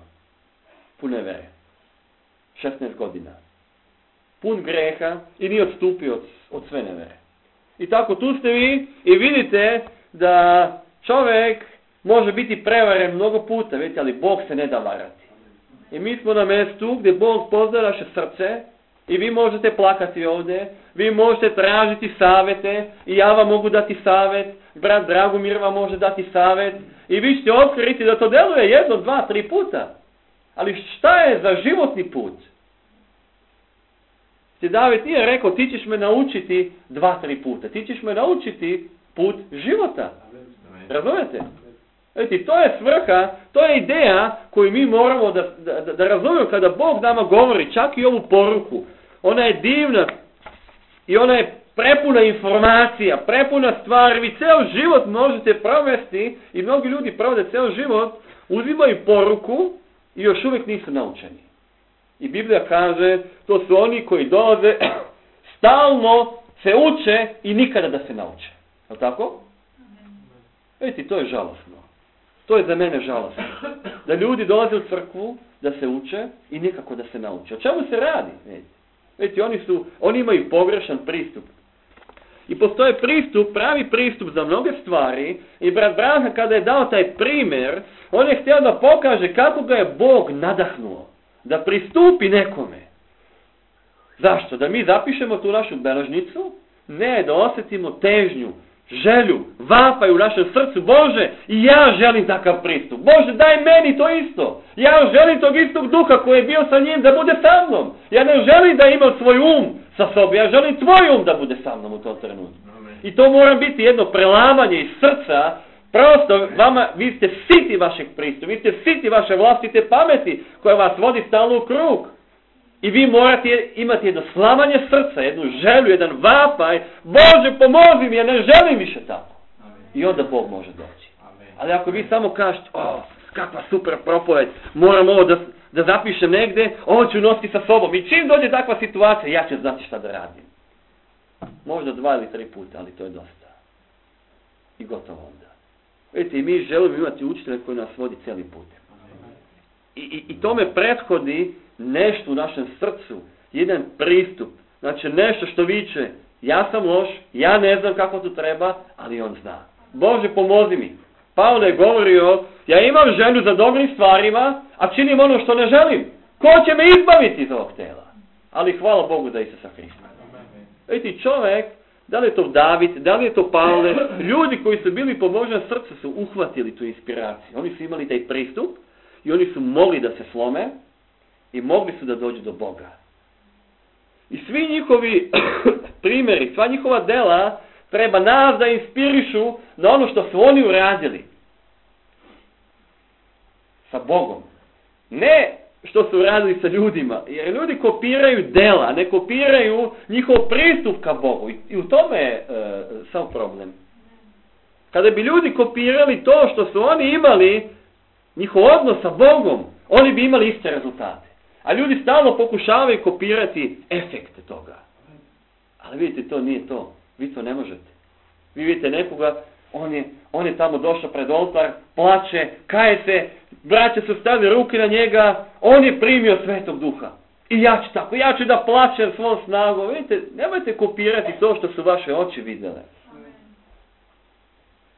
Pun nevere. 16 godina. Pun greha i nije odstupio od sve nevere. I tako tu ste vi i vidite da čovjek može biti prevaren mnogo puta, vidite, ali Bog se ne da varati. I mi smo na mjestu gdje Bog pozna naše srce i vi možete plakati ovdje, vi možete tražiti savjete i ja vam mogu dati savjet, brat Dragomir vam može dati savjet i vi ćete otkriti da to deluje 1, 2, 3 puta. Ali šta je za životni put? David nije rekao ti ćeš me naučiti 2, 3 puta, ti ćeš me naučiti put života. Razumete? Vidite, to je svrha, to je ideja koju mi moramo da razumijemo kada Bog nama govori, čak i ovu poruku. Ona je divna i ona je prepuna informacija, prepuna stvari. Vi ceo život možete provesti i mnogi ljudi provode ceo život, uzimaju poruku i još uvijek nisu naučeni. I Biblija kaže, to su oni koji dolaze, stalno se uče i nikada da se nauče. Je li tako? Vidite, to je žalosno. To je za mene žalosno. Da ljudi dolaze u crkvu, da se uče i nikako da se nauče. O čemu se radi? Vidite, oni imaju pogrešan pristup. I postoje pravi pristup za mnoge stvari. I brat Branham kada je dao taj primjer, on je htio da pokaže kako ga je Bog nadahnuo da pristupi nekome. Zašto? Da mi zapišemo tu našu beležnicu? Ne, da osjetimo težnju, želju, vapaj u našem srcu. Bože, i ja želim takav pristup. Bože, daj meni to isto. Ja želim tog istog duha koji je bio sa njim da bude sa mnom. Ja ne želim da imam svoj sa sobom. Ja želim tvoj da bude sa mnom u tom trenutku. I to mora biti jedno prelamanje iz srca. Prosto, vi ste siti vašeg pristupa, vi ste siti vaše vlastite pameti koja vas vodi stalno u krug. I vi morate imati jedno slamanje srca, jednu želju, jedan vapaj. Bože, pomozi mi, ja ne želim više tako. I onda Bog može doći. Ali ako vi samo kažete, kakva super propoved, moram ovo da zapišem negdje, ovo ću nositi sa sobom. I čim dođe takva situacija, ja ću znati šta da radim. Možda 2 ili 3 puta, ali to je dosta. I gotovo onda. Vidite, i mi želimo imati učitelja koji nas vodi cijelim putem. I tome prethodi nešto u našem srcu, jedan pristup, znači nešto što viče, ja sam loš, ja ne znam kako to treba, ali on zna. Bože, pomozi mi. Pavle je govorio, ja imam želju za dobrim stvarima, a činim ono što ne želim. Ko će me izbaviti iz ovog tela? Ali hvala Bogu da Isusa Hrista. Vidite, čovjek, da li je to David, da li je to Pavle, ljudi koji su bili po Božjem srcu su uhvatili tu inspiraciju. Oni su imali taj pristup i oni su mogli da se slome i mogli su da dođu do Boga. I svi njihovi primjeri, sva njihova dela treba nas da inspirišu na ono što su oni uradili sa Bogom. Ne što su radili sa ljudima. Jer ljudi kopiraju dela, ne kopiraju njihov pristup ka Bogu. I u tome je sam problem. Kada bi ljudi kopirali to što su oni imali, njihov odnos sa Bogom, oni bi imali iste rezultate. A ljudi stalno pokušavaju kopirati efekte toga. Ali vidite, to nije to. Vi to ne možete. Vi vidite nekoga, on je tamo došao pred oltar, plače, kaje se, braća su stavili ruke na njega, on je primio Svetog Duha. I ja ću tako, ja ću da plačem svom snagom. Vidite, nemojte kopirati to što su vaše oči vidjele.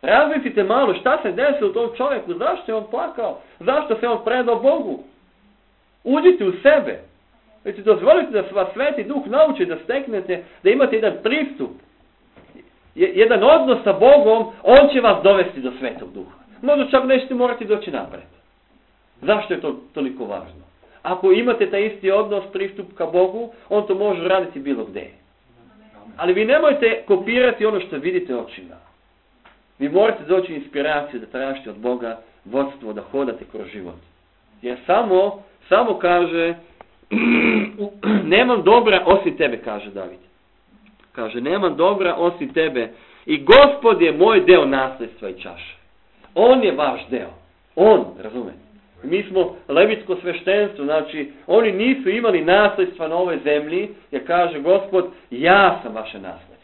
Razmislite malo šta se desilo tom čovjeku, zašto je on plakao, zašto se on predao Bogu. Uđite u sebe. Vidite, dozvolite da vas Sveti Duh nauči da steknete, da imate jedan pristup, jedan odnos sa Bogom, on će vas dovesti do Svetog Duha. Možda čak nećete morati doći napred. Zašto je to toliko važno? Ako imate taj isti odnos, pristup ka Bogu, on to može raditi bilo gdje. Ali vi nemojte kopirati ono što vidite očima. Vi morate doći inspiraciju da tražite od Boga vodstvo, da hodate kroz život. Jer samo kaže, nemam dobra osim tebe, kaže David. Kaže, nemam dobra osim tebe. I Gospod je moj deo nasljedstva i čaše. On je vaš deo. On, razumete? Mi smo levitsko sveštenstvo, znači oni nisu imali nasljedstva na ovoj zemlji, jer kaže Gospod, ja sam vaše nasljedstvo.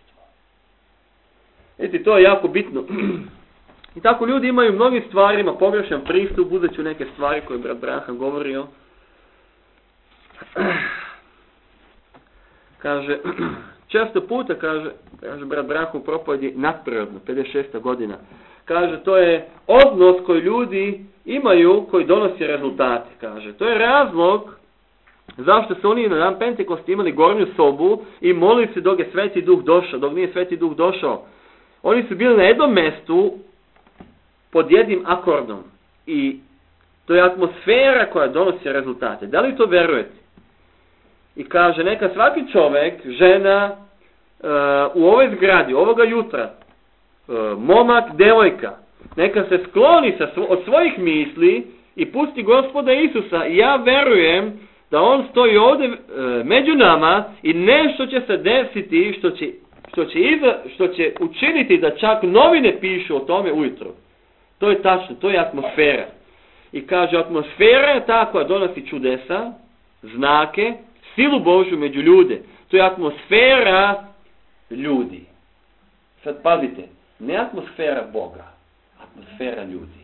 Vidite, to je jako bitno. I tako ljudi imaju mnogim stvarima pogrešan pristup, uzet ću neke stvari koje je brat Branham govorio. Kaže, često puta, kaže brat Branham u propovedi nadprirodno, 56. godina, kaže, to je odnos koji ljudi imaju, koji donosi rezultate, kaže. To je razlog zašto su oni na dan Pentekosta imali gornju sobu i molili se dok je Sveti Duh došao, dok nije Sveti Duh došao. Oni su bili na jednom mjestu pod jednim akordom i to je atmosfera koja donosi rezultate. Da li to verujete? I kaže, neka svaki čovjek, žena, u ovoj zgradi, ovoga jutra, momak, devojka, neka se skloni od svojih misli i pusti Gospoda Isusa. I ja verujem da on stoji ovdje među nama i nešto će se desiti što će učiniti da čak novine pišu o tome ujutro. To je tačno, to je atmosfera. I kaže, atmosfera je ta koja donosi čudesa, znake, silu Božju među ljude. To je atmosfera ljudi. Sad pazite, ne atmosfera Boga, atmosfera ljudi.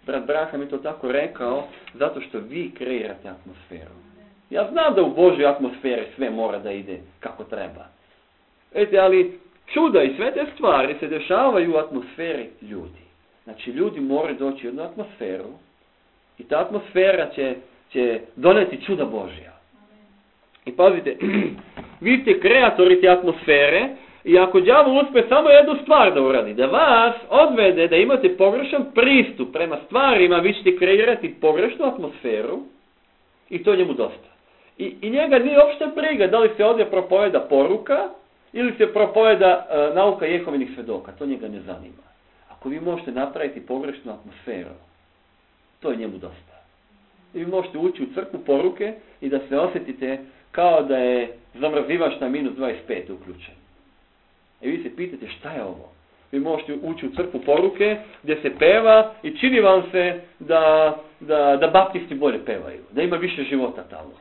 Brat Branham je to tako rekao, zato što vi kreirate atmosferu. Ja znam da u Božoj atmosferi sve mora da ide kako treba. Vidite, ali čuda i sve te stvari se dešavaju u atmosferi ljudi. Znači, ljudi moraju doći u jednu atmosferu i ta atmosfera će doneti čuda Božja. I pazite, vi ste kreatori te atmosfere i ako đavol uspe samo jednu stvar da uradi, da vas odvede da imate pogrešan pristup prema stvarima, vi ćete kreirati pogrešnu atmosferu i to njemu dosta. I njega nije uopšte briga da li se ovdje propoveda poruka ili se propoveda nauka Jehovinih svedoka, to njega ne zanima. Ako vi možete napraviti pogrešnu atmosferu, to je njemu dosta. I vi možete ući u crkvu poruke i da se osjetite kao da je zamrzivač na minus 25 uključen. I vi se pitate šta je ovo? Vi možete ući u crkvu poruke gdje se peva i čini vam se da baptisti bolje pevaju, da ima više života tamo.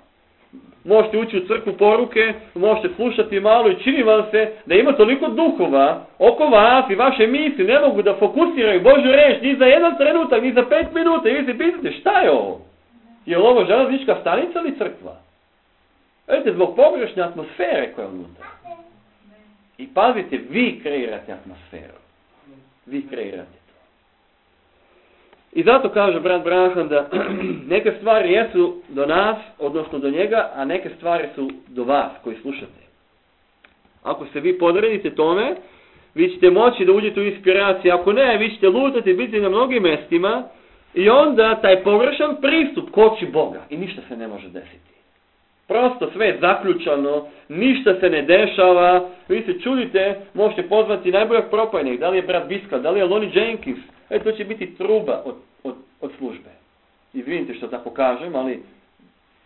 Možete ući u crkvu poruke, možete slušati malo i čini vam se da ima toliko duhova oko vas i vaše misli ne mogu da fokusiraju Božju reč ni za jedan trenutak, ni za 5 minuta. I vi se pitate šta je ovo? Je li ovo železnička stanica ili crkva? Vidite, zbog pogrešne atmosfere koja je unutra. I pazite, vi kreirate atmosferu. Vi kreirate to. I zato kaže brat Branham da neke stvari jesu do nas, odnosno do njega, a neke stvari su do vas koji slušate. Ako se vi podredite tome, vi ćete moći da uđete u inspiraciju. Ako ne, vi ćete lutati, biti na mnogim mjestima i onda taj pogrešan pristup koči Boga i ništa se ne može desiti. Prosto sve je zaključano, ništa se ne dešava, vi se čudite, možete pozvati najboljeg propovjednika, da li je brat Biskal, da li je Lonnie Jenkins, to će biti truba od službe. Izvinite što tako kažem, ali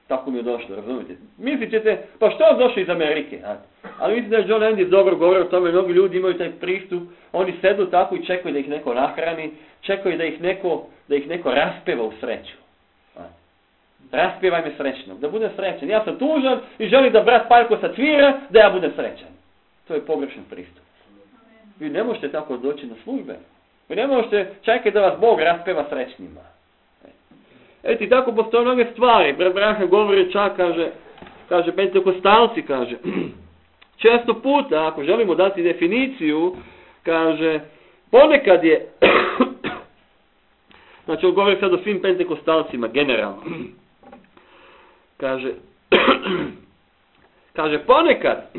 tako mi je došlo, razumijete? Mislit ćete, pa što je došao iz Amerike? Ali mislim da je John Landis dobro govorio o tome, mnogi ljudi imaju taj pristup, oni sedu tako i čekaju da ih neko nahrani, čekaju da ih neko raspeva u sreću. Raspjevaj me srećnog, da budem srećan. Ja sam tužan i želim da brat Paljko sacvira, da ja budem srećan. To je pogrešan pristup. Vi ne možete tako doći na službe. Vi ne možete čekati da vas Bog raspeva srećnima. Eto i tako postoje mnoge stvari. Brat Branham govori čak, kaže pentekostalci, kaže, često puta, ako želimo dati definiciju, kaže, ponekad je, znači on govori sad o svim pentekostalcima, generalno, kaže, ponekad,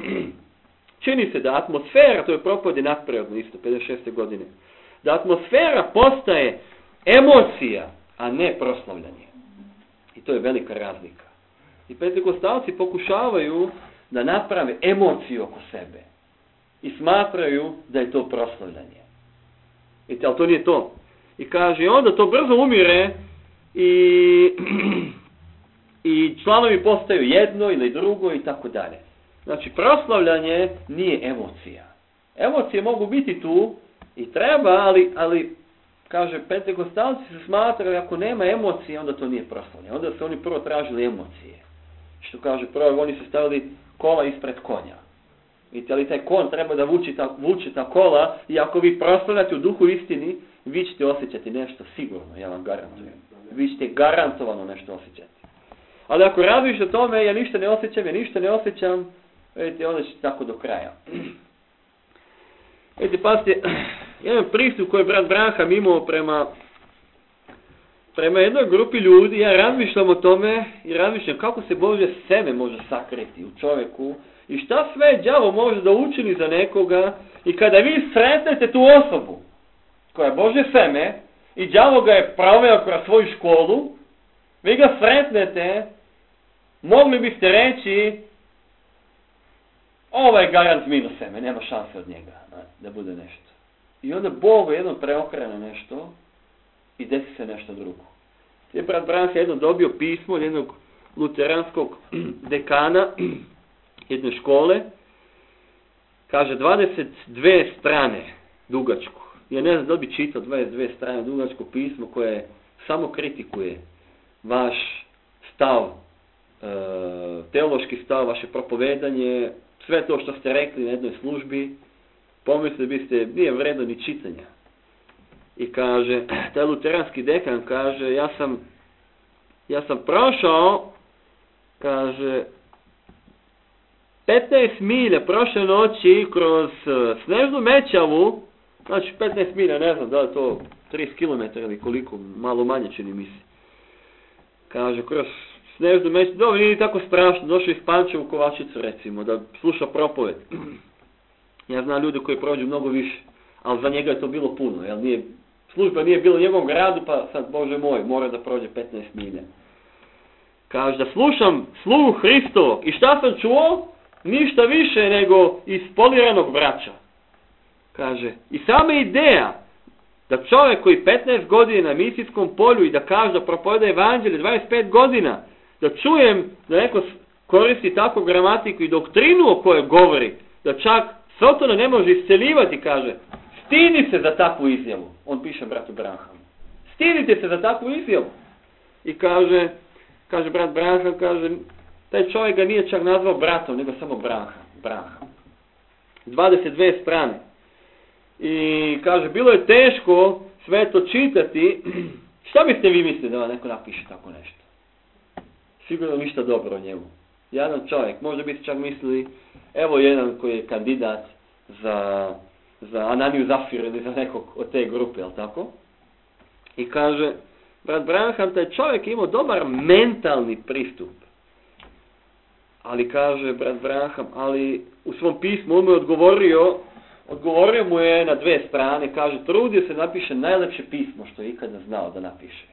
čini se da atmosfera, to je propovjed nadprirodno isto, 56. godine, da atmosfera postaje emocija, a ne proslavljanje. I to je velika razlika. I pentekostalci pokušavaju da naprave emociju oko sebe. I smatraju da je to proslavljanje. Vidite, ali to nije to. I kaže, onda to brzo umire i članovi postaju jedno ili drugo i tako dalje. Znači, proslavljanje nije emocija. Emocije mogu biti tu i treba, ali kaže, pentekostalci se smatraju, ako nema emocije, onda to nije proslavljanje. Onda su oni prvo tražili emocije. Što kaže, prvo oni su stavili kola ispred konja. Vidite, ali taj kon treba da vuče ta kola i ako vi proslavljate u duhu istini, vi ćete osjećati nešto sigurno, ja vam garantujem. Vi ćete garantovano nešto osjećati. Ali ako razmišljate o tome, ja ništa ne osjećam, vidite, onda ćete tako do kraja. Vidite, pazite, jedan pristup koji je brat Branham imao prema jednoj grupi ljudi, ja razmišljam o tome i razmišljam kako se Božje seme može sakriti u čovjeku i šta sve đavo može da učini za nekoga i kada vi sretnete tu osobu koja je Božje seme i đavo ga je proveo kroz svoju školu, vi ga sretnete, mogli biste reći ovaj garant minus seme, nema šanse od njega da bude nešto. I onda Bog jednom preokrene nešto i desi se nešto drugo. Je brat Branham jednom dobio pismo od jednog luteranskog dekana jedne škole, kaže 22 strane dugačko. Ja ne znam da li bi čitao 22 strane dugačko pismo koje samo kritikuje vaš stav, teološki stav, vaše propovedanje, sve to što ste rekli na jednoj službi, pomislili biste, nije vredno ni čitanja. I kaže, taj luteranski dekan kaže, ja sam prošao, kaže, 15 milja prošle noći kroz snežnu mećavu, znači 15 milja, ne znam da li to 30 km ili koliko, malo manje čini mi se. Kaže, kroz snežnu mećavu, dobro, nije tako strašno, došao iz Pančeva u Kovačicu recimo, da sluša propoved. Ja znam ljude koji prođu mnogo više, ali za njega je to bilo puno, jer služba nije bila u njegovom gradu, pa sad, Bože moj, mora da prođe 15 milja. Kaže da slušam sluh Hristovog i šta sam čuo? Ništa više nego ispoliranog vraća. Kaže, i sama ideja da čovjek koji 15 godina na misijskom polju i da kaže da propoveda evanđelje 25 godina, da čujem da neko koristi takvu gramatiku i doktrinu o kojoj govori, da čak Sotona ne može isceljivati, kaže, stidi se za takvu izjavu. On piše bratu Branhamu. Stidite se za takvu izjavu. I kaže brat Branham, kaže, taj čovjek ga nije čak nazvao bratom, nego samo Branham. 22 strane. I kaže, bilo je teško sve to čitati. Šta biste vi mislili da vam neko napiše tako nešto? Sigurno ništa dobro o njemu. Jedan čovjek, možda biste čak mislili, evo jedan koji je kandidat za Ananiju Zafir ili za nekog od te grupe, jel tako? I kaže, brat Branham, taj čovjek je imao dobar mentalni pristup. Ali kaže brat Branham, ali u svom pismu on mu je odgovorio mu je na 2 strane, kaže, trudio se napiše najlepše pismo što je ikada znao da napiše.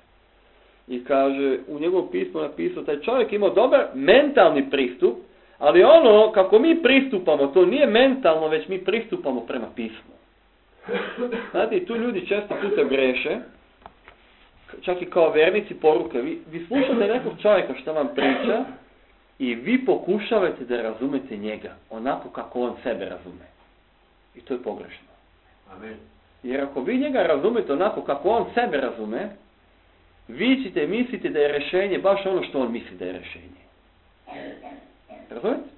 I kaže, u njegovom pismu napisao, taj čovjek imao dobar mentalni pristup, ali ono kako mi pristupamo, to nije mentalno, već mi pristupamo prema pismu. Znate, i tu ljudi često puta greše. čak i kao vernici poruke. Vi slušate nekog čovjeka što vam priča i vi pokušavate da razumete njega onako kako on sebe razume. I to je pogrešno.
Amen.
Jer ako vi njega razumete onako kako on sebe razume, vi ćete misliti da je rješenje baš ono što on misli da je rješenje. Razumete?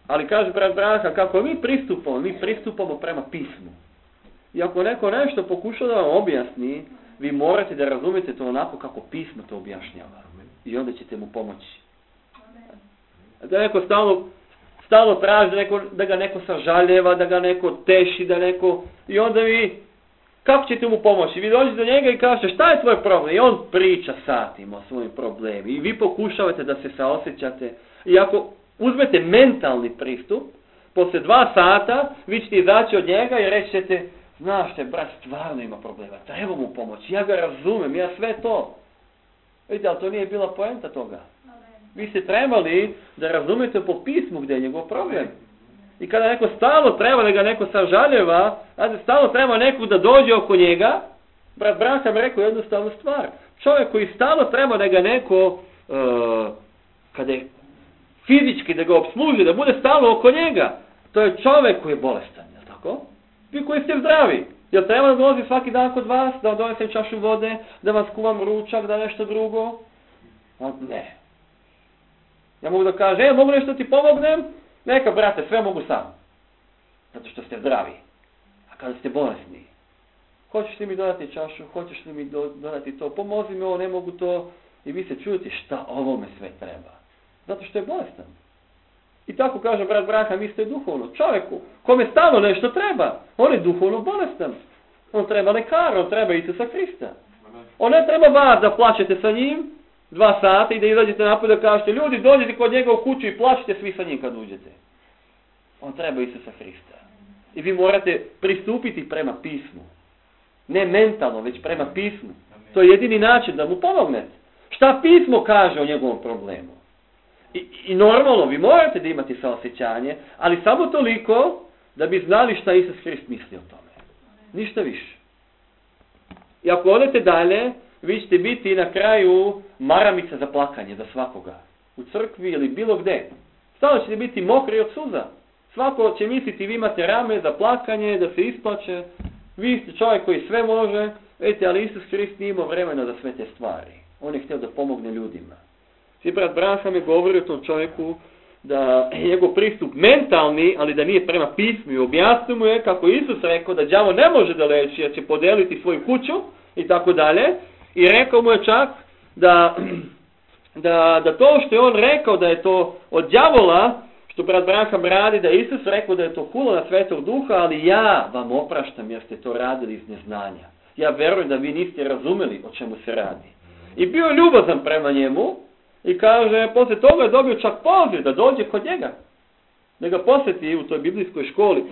Ali kaže brat Branha, kako mi pristupamo prema pismu. I ako neko nešto pokuša da vam objasni, vi morate da razumete to onako kako pismo to objašnjava. I onda ćete mu pomoći. Da neko stalno traži da ga neko sažaljeva, da ga neko teši, i onda vi, kako ćete mu pomoći? Vi dođete do njega i kažete šta je tvoj problem? I on priča satima o svojim problemima. I vi pokušavate da se saosjećate. I ako uzmete mentalni pristup, poslije 2 sata vi ćete izaći od njega i reći ćete, znaš te, brat stvarno ima problema, treba mu pomoći, ja ga razumem, ja sve to. Vidite, ali to nije bila poenta toga. Vi ste trebali da razumete po pismu gdje je njegov problem. I kada neko stalno treba da ga neko sažaljeva, stalno treba nekog da dođe oko njega, brat Branham rekao jednostavnu stvar. Čovjek koji stalno treba da ga neko, kada je fizički da ga obsluži, da bude stalno oko njega, to je čovjek koji je bolestan, je li tako? Vi koji ste zdravi, jel treba da dolazi svaki dan kod vas, da vam donesem čašu vode, da vam skuvam ručak, da nešto drugo? Ne. Ja mogu da kažem, mogu nešto ti pomognem? Neka, brate, sve mogu sam. Zato što ste zdravi. A kada ste bolesni, hoćeš li mi dodati čašu, hoćeš li mi dodati to, pomozi mi ovo, ne mogu to. I vi se čujete šta ovome sve treba. Zato što je bolestan. I tako kaže brat Branham, isto je duhovno. Čovjeku, kome stalno nešto treba, on je duhovno bolestan. On treba lekara, on treba Isusa Hrista. On ne treba vas da plačete sa njim 2 sata i da izađete napad da kažete, ljudi, dođete kod njega u kuću i plačite svi sa njim kad uđete. On treba Isusa Hrista. I vi morate pristupiti prema pismu. Ne mentalno, već prema pismu. To je jedini način da mu pomognete. Šta pismo kaže o njegovom problemu? I normalno, vi morate da imate saosjećanje, ali samo toliko da bi znali šta Isus Hrist misli o tome. Ništa više. I ako odete dalje, vi ćete biti na kraju maramica za plakanje za svakoga. U crkvi ili bilo gde. Stalno ćete biti mokri od suza. Svako će misliti vi imate rame za plakanje, da se isplače. Vi ste čovjek koji sve može. Vidite, ali Isus Hrist nije imao vremena za sve te stvari. On je htio da pomogne ljudima. I brat Branham je govorio o tom čovjeku da je njegov pristup mentalni, ali da nije prema pismu i objasnio mu je kako Isus rekao da đavo ne može da leči, jer će podeliti svoju kuću i tako dalje. I rekao mu je čak da to što je on rekao da je to od đavola, što brat Branham radi, da je Isus rekao da je to hula na Svetog Duha, ali ja vam opraštam jer ste to radili iz neznanja. Ja verujem da vi niste razumeli o čemu se radi. I bio je ljubazan prema njemu. I kaže, poslije toga je dobio čak poziv da dođe kod njega. Da ga posjeti u toj biblijskoj školi.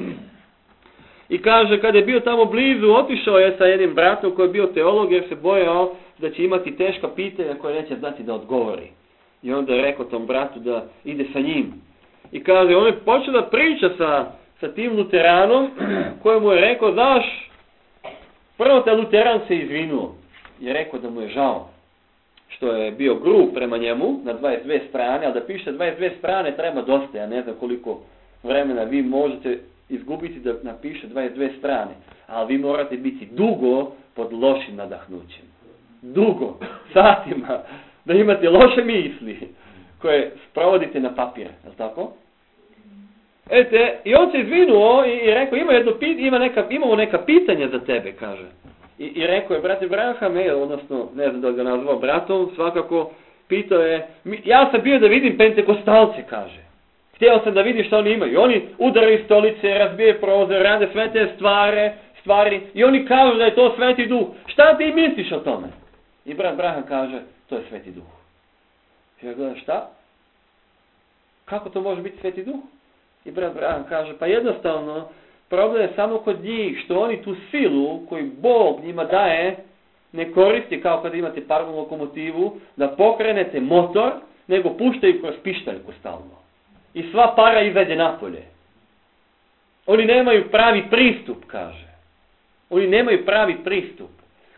I kaže, kada je bio tamo blizu, otišao je sa jednim bratom koji je bio teolog jer se bojao da će imati teška pitanja koje neće znati da odgovori. I onda je rekao tom bratu da ide sa njim. I kaže, on je počeo da priča sa tim luteranom kojemu je rekao, znaš, prvo taj luteran se izvinuo. Je rekao da mu je žao što je bio grub prema njemu na 22 strane, ali da piše 22 strane treba dosta, ja ne znam koliko vremena vi možete izgubiti da napiše 22 strane, ali vi morate biti dugo pod lošim nadahnućem. Dugo, satima, da imate loše misli koje sprovodite na papir, je li tako? Eto, i on se izvinuo i rekao, imamo neka pitanja za tebe, kaže. I rekao je, brate Branham, odnosno, ne znam da ga nazvao bratom, svakako, pitao je, ja sam bio da vidim pentekostalce, kaže. Htio sam da vidim što oni imaju. Oni udaraju stolice, razbije prozor, rade sve te stvari i oni kažu da je to Sveti Duh. Šta ti misliš o tome? I brat Branham kaže, to je Sveti Duh. I ja gledam, šta? Kako to može biti Sveti Duh? I brat Branham kaže, pa jednostavno, problem je samo kod njih što oni tu silu koju Bog njima daje ne koristi kao kada imate parnu lokomotivu da pokrenete motor, nego puštaju kroz pištaljku stalno. I sva para izađe napolje. Oni nemaju pravi pristup, kaže. Oni nemaju pravi pristup.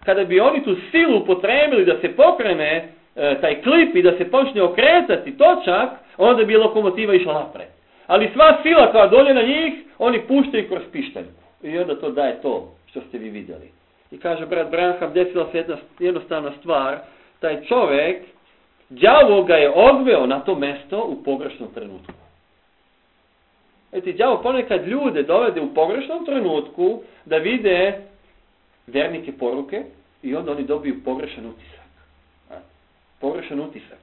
kada bi oni tu silu upotrebili da se pokrene taj klip i da se počne okretati točak, onda bi lokomotiva išla napred. Ali sva sila koja dolje na njih, oni puštaju kroz pištaljku. I onda to daje to što ste vi vidjeli. I kaže brat Branham, desila se jedna jednostavna stvar, taj čovjek, đavo ga je odveo na to mesto u pogrešnom trenutku. Đavo ponekad ljude dovede u pogrešnom trenutku da vide vernike poruke i onda oni dobiju pogrešan utisak. Pogrešan utisak.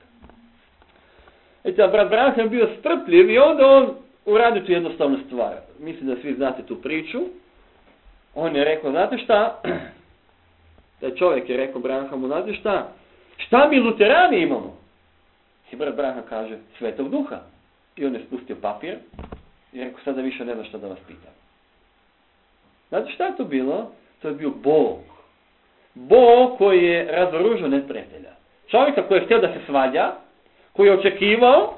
Brat Branham je bio strpljiv i onda on uradio tu jednostavnu stvar. Mislim da svi znate tu priču. On je rekao, znate šta? Taj čovjek je rekao Branhamu, znate šta? Šta mi luterani imamo? I brat Branham kaže, Svetog Duha. I on je spustio papir i rekao, sada više ne znam šta da vas pitam. Znate šta je to bilo? To je bio Bog. Bog koji je razoružao neprijatelja. Čovjeka koji je htio da se svađa, koji je očekivao,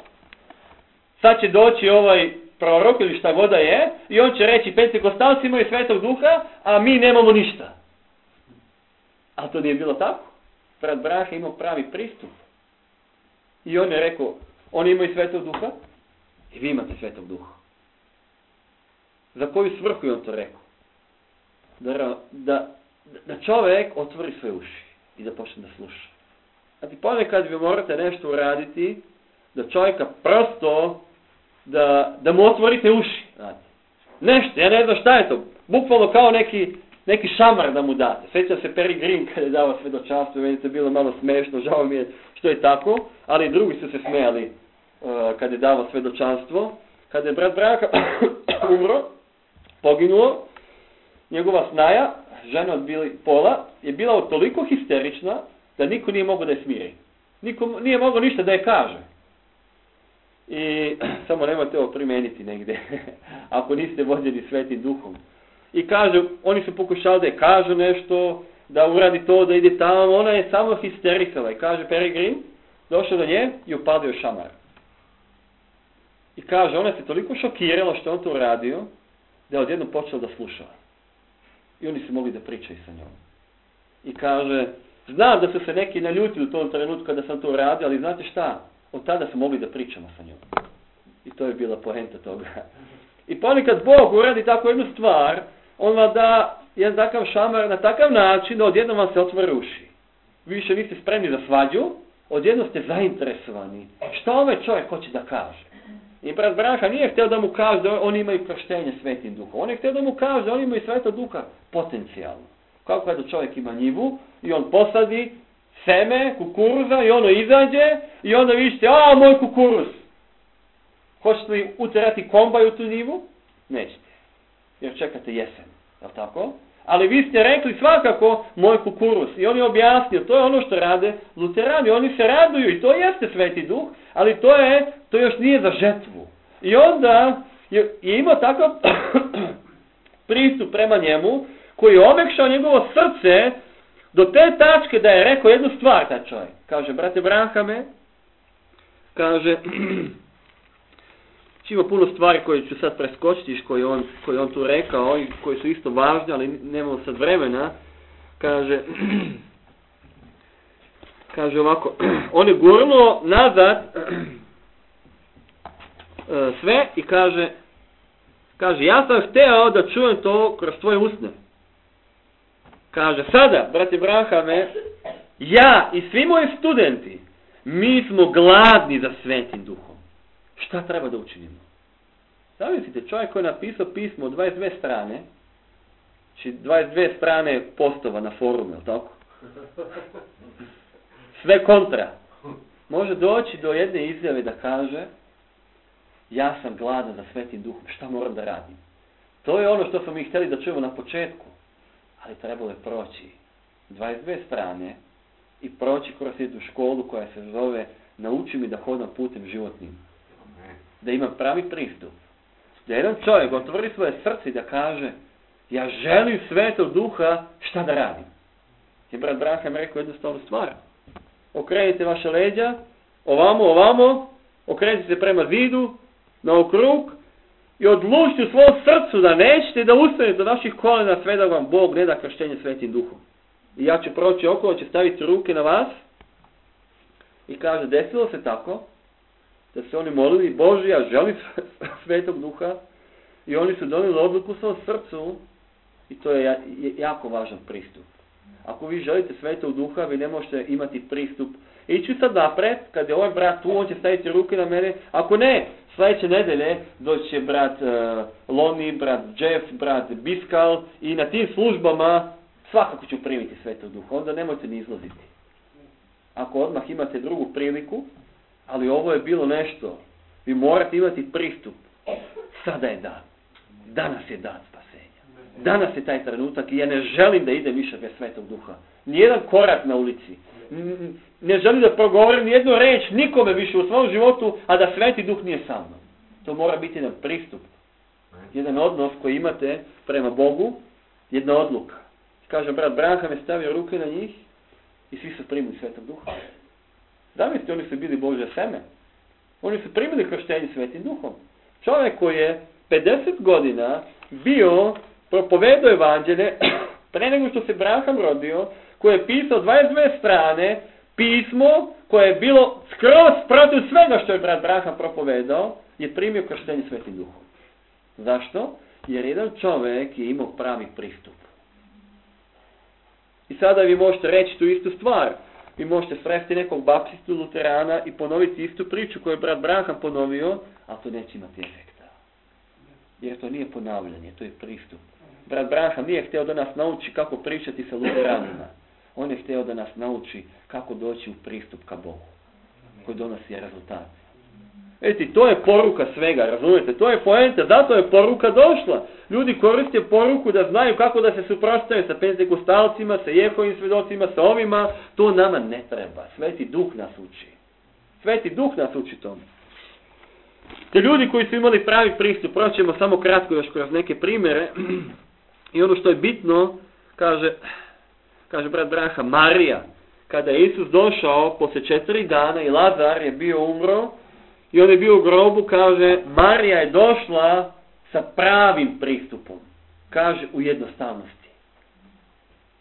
sad će doći ovaj prorok ili šta god da je, i on će reći, pentekostalci imaju Svetog Duha, a mi nemamo ništa. Ali to nije bilo tako. Brat Branham je imao pravi pristup. I on je rekao, oni imaju Svetog Duha i vi imate Svetog Duha. Za koju svrhu je on to rekao? Da čovjek otvori svoje uši i da počne da sluša. Znači ponekad vi morate nešto uraditi da čovjeka prosto da mu otvorite uši. Znači, nešto, ja ne znam šta je to. Bukvalno kao neki šamar da mu date. Sjećam se Perry Green kada je dao svedočanstvo, meni je bilo malo smešno, žao mi je što je tako, ali drugi su se smijali kada je dao svedočanstvo. Kada je brat Branham umro, poginuo, njegova snaja, žena od Billy Paula, je bila toliko histerična da niko nije mogao da je smiri. Niko nije mogao ništa da je kaže. I samo nemojte ovo primeniti negdje, ako niste vođeni Svetim Duhom. I kaže, oni su pokušali da je kažu nešto, da uradi to, da ide tamo, ona je samo histerikala. I kaže Perry Green, došao do nje i upadio šamar. I kaže, ona se toliko šokirala što on to uradio, da je odjednom počela da sluša. I oni su mogli da pričaju sa njom. I kaže, znam da su se neki naljutili u tom trenutku kada sam to uradio, ali znate šta? Od tada smo mogli da pričamo sa njom. I to je bila poenta toga. I ponekad Bog uradi tako jednu stvar, on vam da jedan takav šamar na takav način da odjednom vam se otvore uši. Vi više niste spremni za svađu, odjednom ste zainteresovani. Šta ovaj čovjek hoće da kaže? I brat Branham nije htio da mu kaže da oni imaju krštenje Svetim Duhom. On je htio da mu kaže da oni imaju Svetog Duha potencijalno. Kao kada čovjek ima njivu i on posadi seme kukuruza i ono izađe i onda vi ćete, moj kukuruz. Hoćete li uterati kombaj u tu njivu? Nećete. Jer čekate jesen. Je li tako? Ali vi ste rekli svakako moj kukuruz. I on je objasnio, to je ono što rade luterani. Oni se raduju i to jeste Sveti Duh, ali to još nije za žetvu. I onda je imao takav pristup prema njemu, koji je omekšao njegovo srce do te tačke da je rekao jednu stvar taj čovjek. Kaže, brate Branhame, kaže, ima puno stvari koje ću sad preskočiti, koje on tu rekao i koje su isto važne, ali nemamo sad vremena. Kaže ovako, on je gurnuo nazad sve i kaže, ja sam hteo da čujem to kroz tvoje usne. Kaže, sada, brate Branhame, ja i svi moji studenti, mi smo gladni za Svetim Duhom. Šta treba da učinimo? Zamislite, čovjek koji je napisao pismo od 22 strane, znači 22 strane postova na forumu, je li tako? Sve kontra. Može doći do jedne izjave da kaže, ja sam gladan za Svetim Duhom, šta moram da radim? To je ono što smo mi htjeli da čujemo na početku, ali trebalo je proći 22 strane i proći kroz jednu školu koja se zove Nauči mi da hodam putem životnim. Da ima pravi pristup. Da jedan čovjek otvori svoje srce i da kaže, ja želim Svetog Duha, šta da radim? I brat Branham rekao jednostavnu stvar. Okrenite vaše leđa, ovamo, okrenite se prema zidu, na okrug i odlučite u svom srcu da nećete da ustanete do vaših kolena sve da vam Bog ne da krštenje Svetim Duhom. i ja ću proći okolo, će staviti ruke na vas i kaže, desilo se tako, da se oni molili, Bože, ja želim Svetog Duha, i oni su donijeli odluku u svom srcu, i to je jako važan pristup. Ako vi želite Svetog Duha, vi ne možete imati pristup. Ići sad napred, kad je ovaj brat tu, on će staviti ruke na mene. Ako ne, sljedeće nedelje doći će brat Loni, brat Jeff, brat Biskal i na tim službama svakako ću primiti Svetog Duha. Onda nemojte ni izlaziti. Ako odmah imate drugu priliku, ali ovo je bilo nešto. Vi morate imati pristup. Sada je dan. Danas je dan spasenja. Danas je taj trenutak i ja ne želim da idem više bez Svetog Duha. Nijedan korak na ulici. Ne želim da progovorim nijednu reč nikome više u svom životu, a da Sveti Duh nije sa mnom. To mora biti jedan pristup. Jedan odnos koji imate prema Bogu, jedna odluka. Kaže, brat Branham je stavio ruke na njih i svi su primili Svetog Duha. Zamislite, oni su bili Božje seme. Oni su primili krštenje Svetim Duhom. Čovjek koji je 50 godina bio, propovedao evanđelje, pre nego što se Branham rodio, koji je pisao 22 strane, pismo koje je bilo skroz protiv svega što je brat Branham propovedao, je primio krštenje Svetim Duhom. Zašto? Jer jedan čovjek je imao pravi pristup. I sada vi možete reći tu istu stvar. Vi možete sresti nekog baptistu, luterana i ponoviti istu priču koju je brat Branham ponovio, ali to neće imati efekta. Jer to nije ponavljanje, to je pristup. Brat Branham nije htio da nas nauči kako pričati sa luteranima. On je htio da nas nauči kako doći u pristup ka Bogu, koji donosi rezultat. Vidite, to je poruka svega, razumijete? To je poenta, zato je poruka došla. Ljudi koriste poruku da znaju kako da se suprotstave sa pentekostalcima, sa Jehovim svjedocima, sa ovima. To nama ne treba. Sveti Duh nas uči. Sveti Duh nas uči tomu. Te ljudi koji su imali pravi pristup, proćemo samo kratko još kroz neke primjere. I ono što je bitno, kaže brat Branham, Marija, kada je Isus došao poslije 4 dana i Lazar je bio umro, i on je bio u grobu, kaže, Marija je došla sa pravim pristupom. Kaže, u jednostavnosti.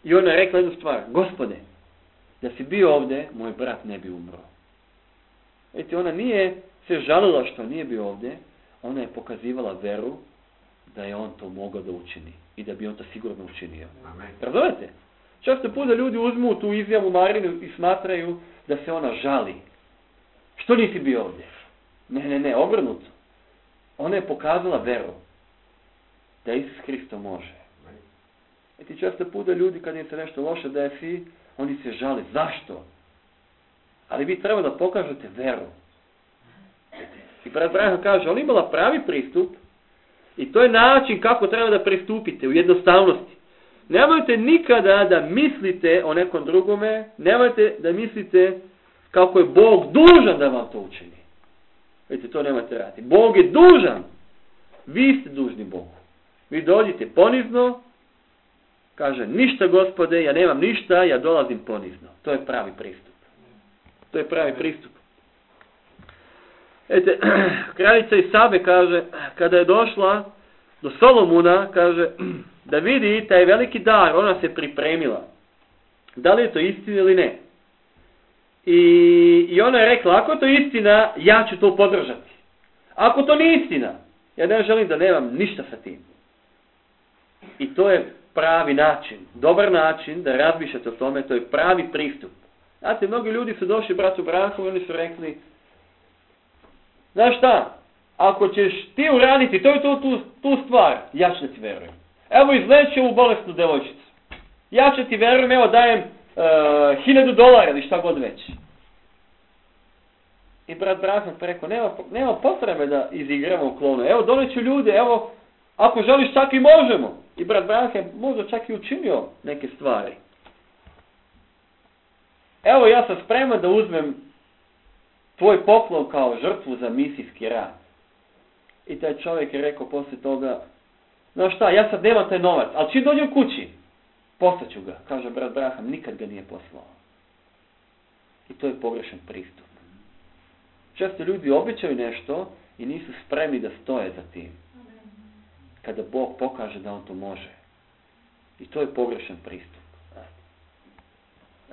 I ona je rekla jednu stvar, Gospode, da si bio ovdje, moj brat ne bi umro. Vidite, ona nije se žalila što nije bio ovdje, ona je pokazivala veru da je on to mogao da učini. I da bi on to sigurno učinio. Razumete? Često puta ljudi uzmu tu izjavu Marinu i smatraju da se ona žali. Što nisi bio ovdje? Ne, obrnuto. Ona je pokazala veru da Isus Hristo može. I ti često puta ljudi kad im se nešto loše desi, oni se žali. Zašto? Ali vi treba da pokažete veru. I brat Branham kaže, on imala pravi pristup i to je način kako treba da pristupite u jednostavnosti. Nemojte nikada da mislite o nekom drugome, nemojte da mislite kako je Bog dužan da vam to učini. Vidite, to nemojte raditi. Bog je dužan. Vi ste dužni Bogu. Vi dođite ponizno, kaže, ništa Gospode, ja nemam ništa, ja dolazim ponizno. To je pravi pristup. To je pravi pristup. Vidite, kraljica Isabe kaže, kada je došla do Solomuna, kaže, da vidi taj veliki dar, ona se pripremila. Da li je to istina ili ne? I ona je rekla, ako je to istina, ja ću to podržati. Ako to nije istina, ja ne želim da nemam ništa sa tim. I to je pravi način, dobar način da razmišljate o tome, to je pravi pristup. Znate, mnogi ljudi su došli bratu Branhamu i oni su rekli, znaš šta, ako ćeš ti uraditi tu stvar, ja ću da ti verujem. Evo izleči ovu bolesnu devojčicu. Ja ću ti verujem, evo dajem $1000 ili šta god već. I brat Branham rekao, nema potrebe da izigramo klonu. Evo doneću ljude, evo, ako želiš čak i možemo. I brat Branham možda čak i učinio neke stvari. Evo ja sam spreman da uzmem tvoj poklon kao žrtvu za misijski rad. I taj čovjek je rekao poslije toga, no šta, ja sad nemam taj novac, ali čim dođem kući, poslaću ga. Kaže brat Branham, nikad ga nije poslao. I to je pogrešan pristup. Često ljudi obećaju nešto i nisu spremni da stoje za tim. Kada Bog pokaže da on to može. I to je pogrešan pristup.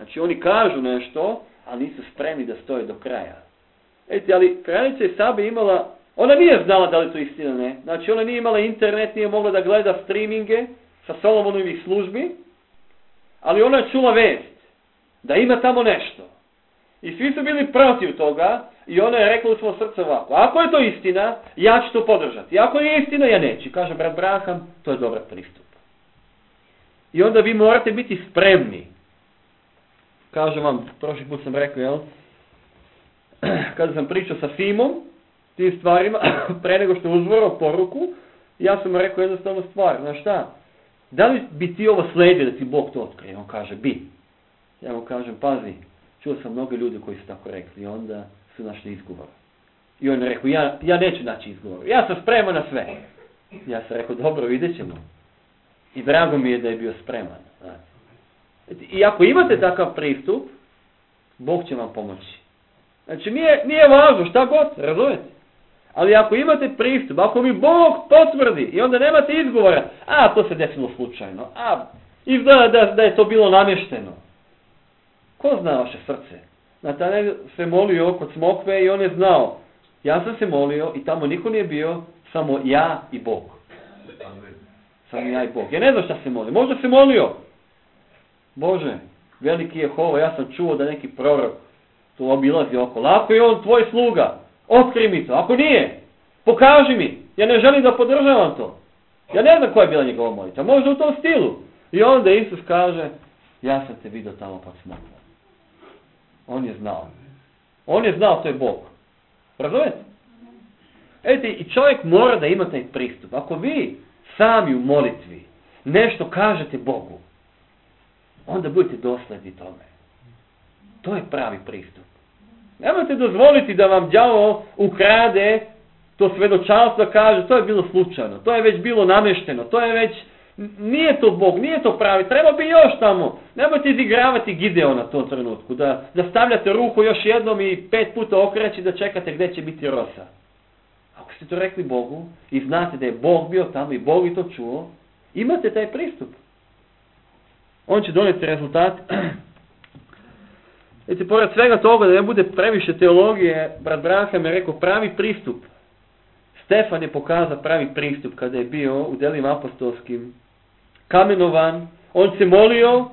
Znači oni kažu nešto, ali nisu spremni da stoje do kraja. Vidite, ali kraljica je Sabe imala, ona nije znala da li to istina, ne. Znači ona nije imala internet, nije mogla da gleda streaminge sa Solomonovih službi, ali ona je čula vest da ima tamo nešto. I svi su bili protiv toga i ona je rekla u svom srcu ovako, ako je to istina, ja ću to podržati. Ako je istina, ja neću. Kaže brat Braham, to je dobar pristup. I onda vi morate biti spremni. Kažem vam, prošli put sam rekao, jel? Kada sam pričao sa Simom, tim stvarima, pre nego što je uzvorao poruku, ja sam mu rekao jednostavnu stvar, znaš šta? Da li bi ti ovo sledio da ti Bog to otkrije? On kaže, bi. Ja mu kažem, pazi, čuo sam mnogo ljudi koji su tako rekli, onda su našli izgovor. I on je rekao, ja neću naći izgovor, ja sam spreman na sve. Ja sam rekao, dobro, vidjet ćemo. I drago mi je da je bio spreman. Znači. I ako imate takav pristup, Bog će vam pomoći. Znači, nije važno šta god, razumete? Ali ako imate pristup, ako mi Bog potvrdi i onda nemate izgovora, to se desilo slučajno, izgleda da je to bilo namješteno. Ko zna vaše srce? Natanel se molio kod smokve i on je znao. Ja sam se molio i tamo niko nije bio, samo ja i Bog. Samo ja i Bog. Ja ne znam šta se molio. Možda se molio. Bože, veliki Jehova, ja sam čuo da neki prorok tu obilazi okolo. Ako je on tvoj sluga, otkrij mi to. Ako nije, pokaži mi. Ja ne želim da podržavam to. Ja ne znam koja je bila njegova molitva. Možda u tom stilu. I onda Isus kaže, ja sam te vidio tamo pod smokvom. On je znao. On je znao, to je Bog. Razumete? Vidite, i čovjek mora da ima taj pristup. Ako vi sami u molitvi nešto kažete Bogu, onda budete dosledni tome. To je pravi pristup. Nemojte dozvoliti da vam đavo ukrade to svedočanstvo, kaže, to je bilo slučajno, to je već bilo namješteno, to je već, nije to Bog, nije to pravi, treba bi još tamo. Nemojte izigravati Gideona u tom trenutku, da stavljate ruku još jednom i 5 puta okreći da čekate gdje će biti rosa. Ako ste to rekli Bogu i znate da je Bog bio tamo i Bog je to čuo, imate taj pristup. On će donijeti rezultat. Vidite, pored svega toga, da ne bude previše teologije, brat Braham je rekao pravi pristup. Stefan je pokazao pravi pristup kada je bio u Delima apostolskim kamenovan. On se molio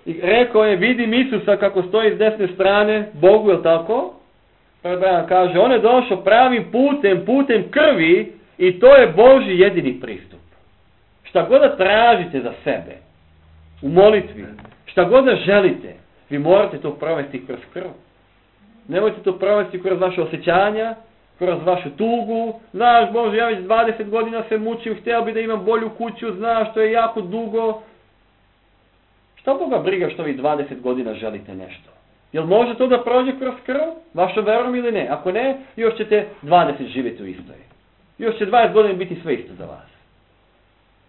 i rekao je, vidim Isusa kako stoji s desne strane, Bogu, je li tako? Brat Braham kaže, on je došao pravim putem krvi i to je Božji jedini pristup. Šta god da tražite za sebe, u molitvi, šta god da želite, vi morate to provesti kroz krv. Nemojte to provesti kroz vaše osjećanja, kroz vašu tugu. Znaš, Bože, ja već 20 godina se mučim, htio bi da imam bolju kuću, znaš, to je jako dugo. Šta Boga briga što vi 20 godina želite nešto? Jel može to da prođe kroz krv, vašom verom ili ne? Ako ne, još ćete 20 živjeti u istoj. Još će 20 godina biti sve isto za vas.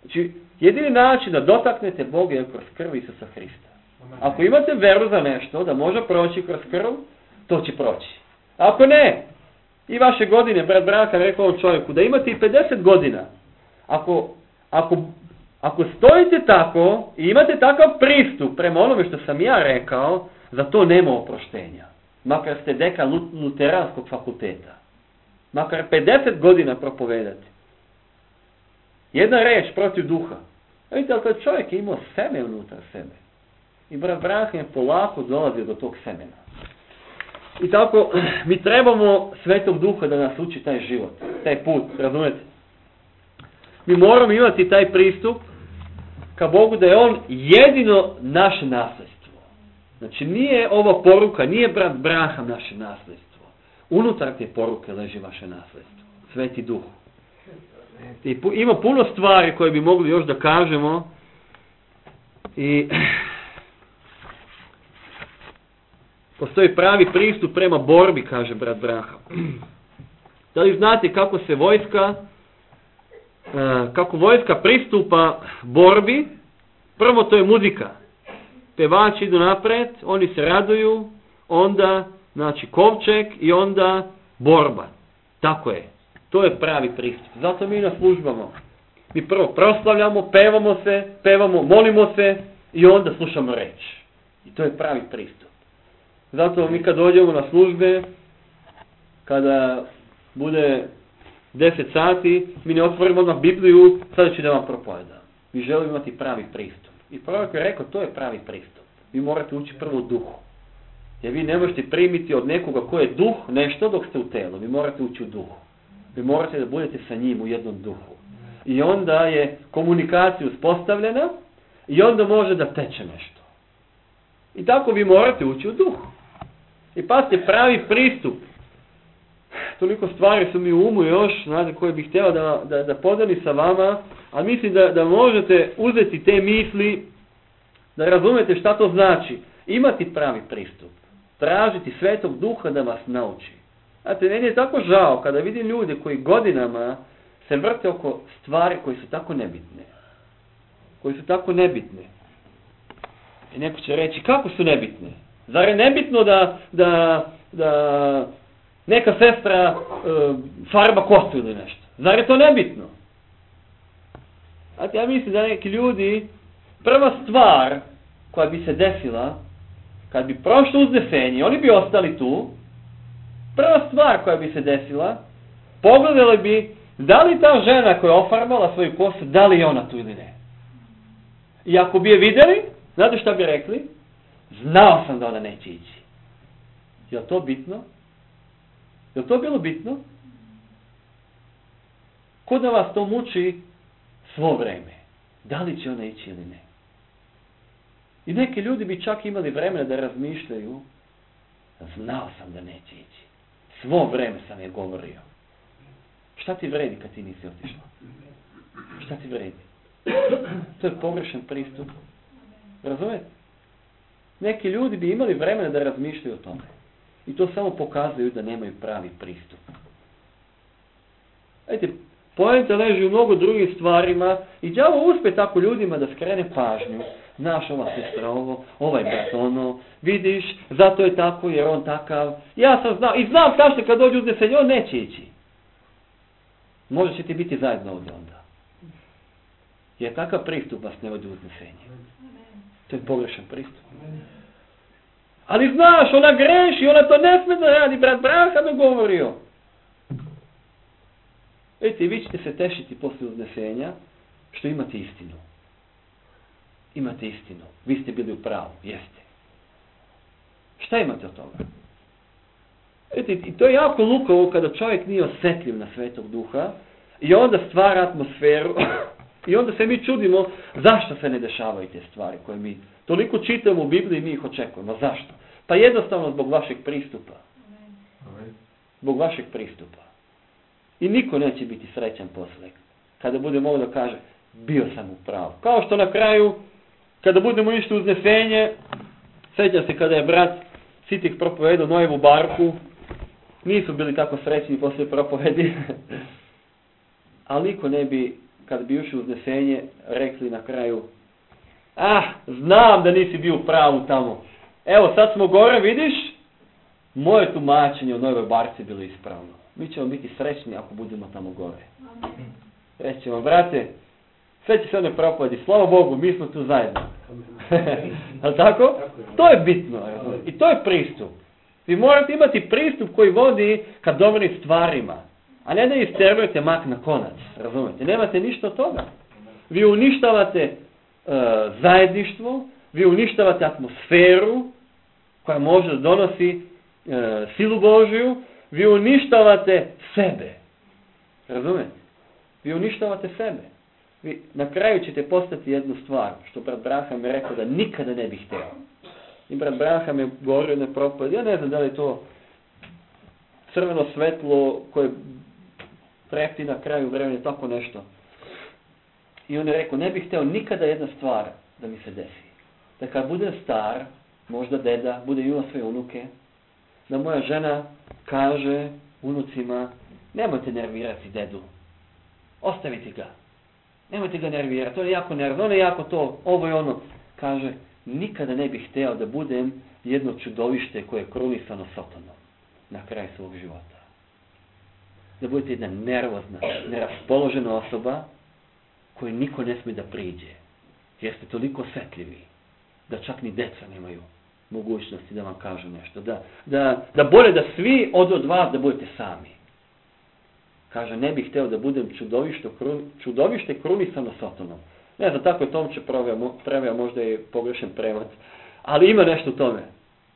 Znači, jedini način da dotaknete Boga je kroz krv Isusa Hrista. Ako imate veru za nešto da može proći kroz krv, to će proći. Ako ne, i vaše godine, brat Braham rekao ovom čovjeku, da imate i 50 godina, ako stojite tako i imate takav pristup prema onome što sam ja rekao, za to nema oproštenja. Makar ste dekan Luteranskog fakulteta. Makar 50 godina propovedati. Jedna reč protiv duha. Vidite, ali taj čovjek je imao seme unutar sebe. I brat Braham je polako dolazio do tog semena. I tako, mi trebamo Svetog Duha da nas uči taj život, taj put, razumete? Mi moramo imati taj pristup ka Bogu da je On jedino naše nasljedstvo. Znači, nije ova poruka, nije brat Braham naše nasljedstvo. Unutar te poruke leži vaše nasljedstvo, Sveti Duh. I ima puno stvari koje bi mogli još da kažemo i postoji pravi pristup prema borbi, kaže brat Braham. Da li znate kako vojska pristupa borbi? Prvo to je muzika. Pevači idu napred, oni se raduju, onda znači kovčeg i onda borba. Tako je. To je pravi pristup. Zato mi na službama. Mi prvo proslavljamo, pevamo, molimo se i onda slušamo reč. I to je pravi pristup. Zato mi kad dođemo na službe, kada bude 10 sati, mi ne otvorimo odmah Bibliju, sada ću da vam propovedam. Mi želimo imati pravi pristup. I prorok je rekao, to je pravi pristup. Vi morate ući prvo u duhu. Jer vi ne možete primiti od nekoga ko je duh nešto dok ste u telu. Vi morate ući u duhu. Vi morate da budete sa njim u jednom duhu. I onda je komunikacija uspostavljena i onda može da teče nešto. I tako vi morate ući u duhu. I pazite, pravi pristup. Toliko stvari su mi u umu još, znate, koje bih htio da podeli sa vama, a mislim da možete uzeti te misli, da razumete šta to znači. Imati pravi pristup. Tražiti Svetog Duha da vas nauči. Znate, meni je tako žao kada vidim ljude koji godinama se vrte oko stvari koji su tako nebitne. Koji su tako nebitne. I neko će reći, kako su nebitne? Zar je nebitno da neka sestra farba kosu ili nešto? Zar je to nebitno? Znate, ja mislim da neki ljudi, prva stvar koja bi se desila, kad bi prošlo uznesenje, oni bi ostali tu, prva stvar koja bi se desila, pogledali bi da li ta žena koja je ofarbala svoju kosu, da li je ona tu ili ne. I ako bi je vidjeli, znate šta bi rekli? Znao sam da ona neće ići. Je li to bitno? Je li to bilo bitno? Ko da vas to muči svo vreme? Da li će ona ići ili ne? I neki ljudi bi čak imali vremena da razmišljaju, znao sam da neće ići. Svo vreme sam je govorio. Šta ti vredi kad ti nisi otišla? Šta ti vredi? To je pogrešan pristup. Razumete? Neki ljudi bi imali vremena da razmišljaju o tome. I to samo pokazuju da nemaju pravi pristup. Vidite, poenta leži u mnogo drugih stvarima i đavo uspe tako ljudima da skrene pažnju. Znaš, ova sestra ovo, ovaj brat ono, vidiš, zato je tako jer on takav. Ja sam znao, i znam kažete kad dođe uznesenje, on neće ići. Možda ćete biti zajedno ovdje onda. Jer takav pristup vas ne vodi u uznesenje. To je pogrešan pristup. Ali znaš, ona greši, ona to ne sme da radi, brat Branham je govorio. Vidite, vi ćete se tešiti poslije uznesenja što imate istinu. Imate istinu. Vi ste bili u pravu. Jeste. Šta imate od toga? Vidite, i to je jako lukavo kada čovjek nije osjetljiv na Svetog Duha i onda stvara atmosferu i onda se mi čudimo zašto se ne dešavaju te stvari koje mi toliko čitamo u Bibliji i mi ih očekujemo. Zašto? Pa jednostavno zbog vašeg pristupa. Zbog vašeg pristupa. I niko neće biti srećan posle. Kada bude mogao da kaže, bio sam u pravu. Kao što na kraju, kada budemo išli uznesenje, sjećam se kada je brat Sitik propovedao Nojevu barku, nisu bili tako srećni poslije propovedi, ali niko ne bi, kada bi ušli uznesenje, rekli na kraju, znam da nisi bio u pravu tamo. Evo, sad smo gore, vidiš, moje tumačenje o Nojevoj barci bilo ispravno. Mi ćemo biti srećni ako budemo tamo gore. Reći ćemo, brate, sve će se one propovedi, slava Bogu, mi smo tu zajedno. Ali tako? To je bitno. I to je pristup. Vi morate imati pristup koji vodi ka dobrim stvarima. A ne da isterujete mak na konac. Razumete? Nemate ništa od toga. Vi uništavate zajedništvo, vi uništavate atmosferu koja može da donosi silu Božiju, vi uništavate sebe. Razumete? Vi uništavate sebe. Vi na kraju ćete postati jednu stvar, što brat Branham je rekao da nikada ne bi htio. I brat Branham je govorio na propovedi, ja ne znam da li je to crveno svetlo koje preti na kraju vremena, tako nešto. I on je rekao, ne bih htio nikada jedna stvar da mi se desi. Da kad budem star, možda deda, bude imao svoje unuke, da moja žena kaže unucima, nemojte nervirati dedu, ostavite ga. Nemojte ga nervirati, on je jako nervno, on je jako to, ovo i ono. Kaže, nikada ne bih htio da budem jedno čudovište koje je krunisano satanom na kraju svog života. Da budete jedna nervozna, neraspoložena osoba koju niko ne smije da priđe. Jer ste toliko osjetljivi da čak ni deca nemaju mogućnosti da vam kažu nešto. Da bolje da svi od vas da budete sami. Kaže, ne bih hteo da budem čudovište krunisano Satanom. Ne znam, tako je Tomče preveo, možda je pogrešan prevod. Ali ima nešto u tome.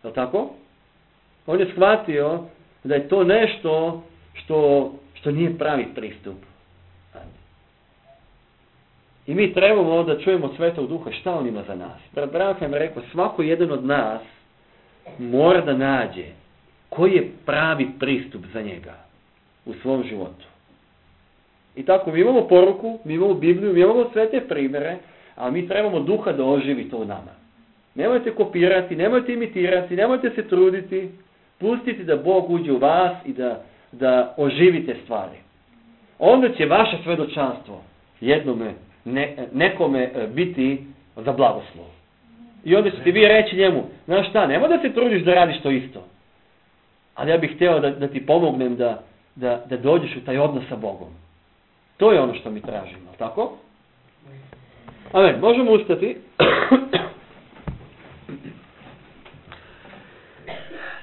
Je li tako? On je shvatio da je to nešto što nije pravi pristup. I mi trebamo da čujemo od Svetog Duha šta on ima za nas. Brat Branham je rekao, svako jedan od nas mora da nađe koji je pravi pristup za njega u svom životu. I tako, mi imamo poruku, mi imamo Bibliju, mi imamo sve te primjere, a mi trebamo Duha da oživi to u nama. Nemojte kopirati, nemojte imitirati, nemojte se truditi, pustite da Bog uđe u vas i da oživite stvari. Onda će vaše svedočanstvo nekome biti za blagoslov. I onda ćete vi reći njemu, znaš šta, nemoj da se trudiš da radiš to isto. Ali ja bih hteo da ti pomognem da dođeš u taj odnos sa Bogom. To je ono što mi tražimo, tako? Amen, možemo ustati.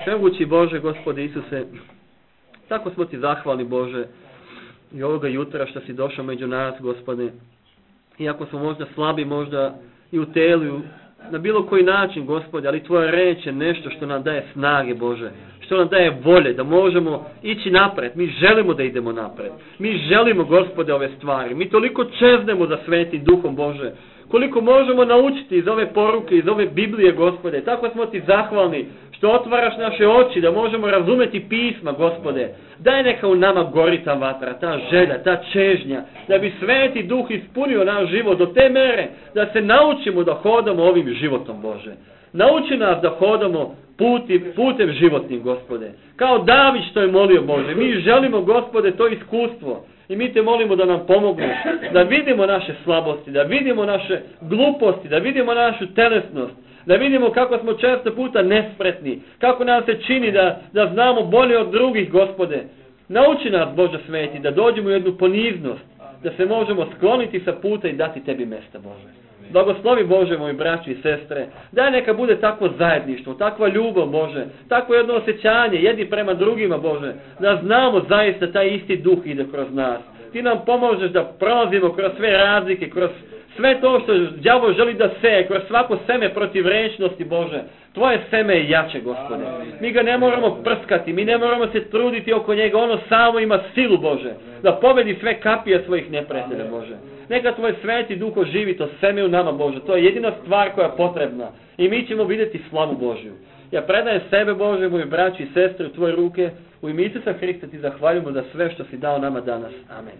Svemogući Bože, Gospode Isuse, tako smo ti zahvalni, Bože, i ovoga jutra što si došao među nas, Gospode. Iako smo možda slabi, možda i u telu, na bilo koji način, Gospode, ali tvoja reč je nešto što nam daje snage, Bože, što nam daje volje, da možemo ići napred. Mi želimo da idemo napred. Mi želimo, Gospode, ove stvari. Mi toliko čeznemo za Svetim Duhom, Bože, koliko možemo naučiti iz ove poruke, iz ove Biblije, Gospode. Tako smo ti zahvalni što otvaraš naše oči, da možemo razumeti pisma, Gospode. Daj neka u nama gori ta vatra, ta želja, ta čežnja, da bi Sveti Duh ispunio naš život do te mere, da se naučimo da hodamo ovim životom, Bože. Nauči nas da hodamo putem životnim, Gospode. Kao David što je molio, Bože. Mi želimo, Gospode, to iskustvo. I mi te molimo da nam pomogneš, da vidimo naše slabosti, da vidimo naše gluposti, da vidimo našu telesnost, da vidimo kako smo često puta nespretni, kako nam se čini da znamo bolje od drugih, Gospode. Nauči nas, Bože sveti, da dođemo u jednu poniznost, da se možemo skloniti sa puta i dati tebi mesta, Bože. Blagoslovi, Bože, moji braći i sestre, daj neka bude takvo zajedništvo, takva ljubav, Bože, takvo jedno osjećanje, jedni prema drugima, Bože, da znamo zaista taj isti Duh ide kroz nas. Ti nam pomožeš da prolazimo kroz sve razlike, kroz sve to što đavo želi da seje, kroz svako seme protiv rečnosti, Bože. Tvoje seme je jače, Gospode. Mi ga ne moramo prskati, mi ne moramo se truditi oko njega, ono samo ima silu, Bože, da pobedi sve kapije svojih neprijatelja, Bože. Neka tvoj Sveti Duh oživi to seme u nama, Bože. To je jedina stvar koja je potrebna. I mi ćemo vidjeti slavu Božju. Ja predajem sebe, Bože, moji braći i sestre, u tvoje ruke. U ime Isusa Hrista ti zahvaljujemo za sve što si dao nama danas. Amen.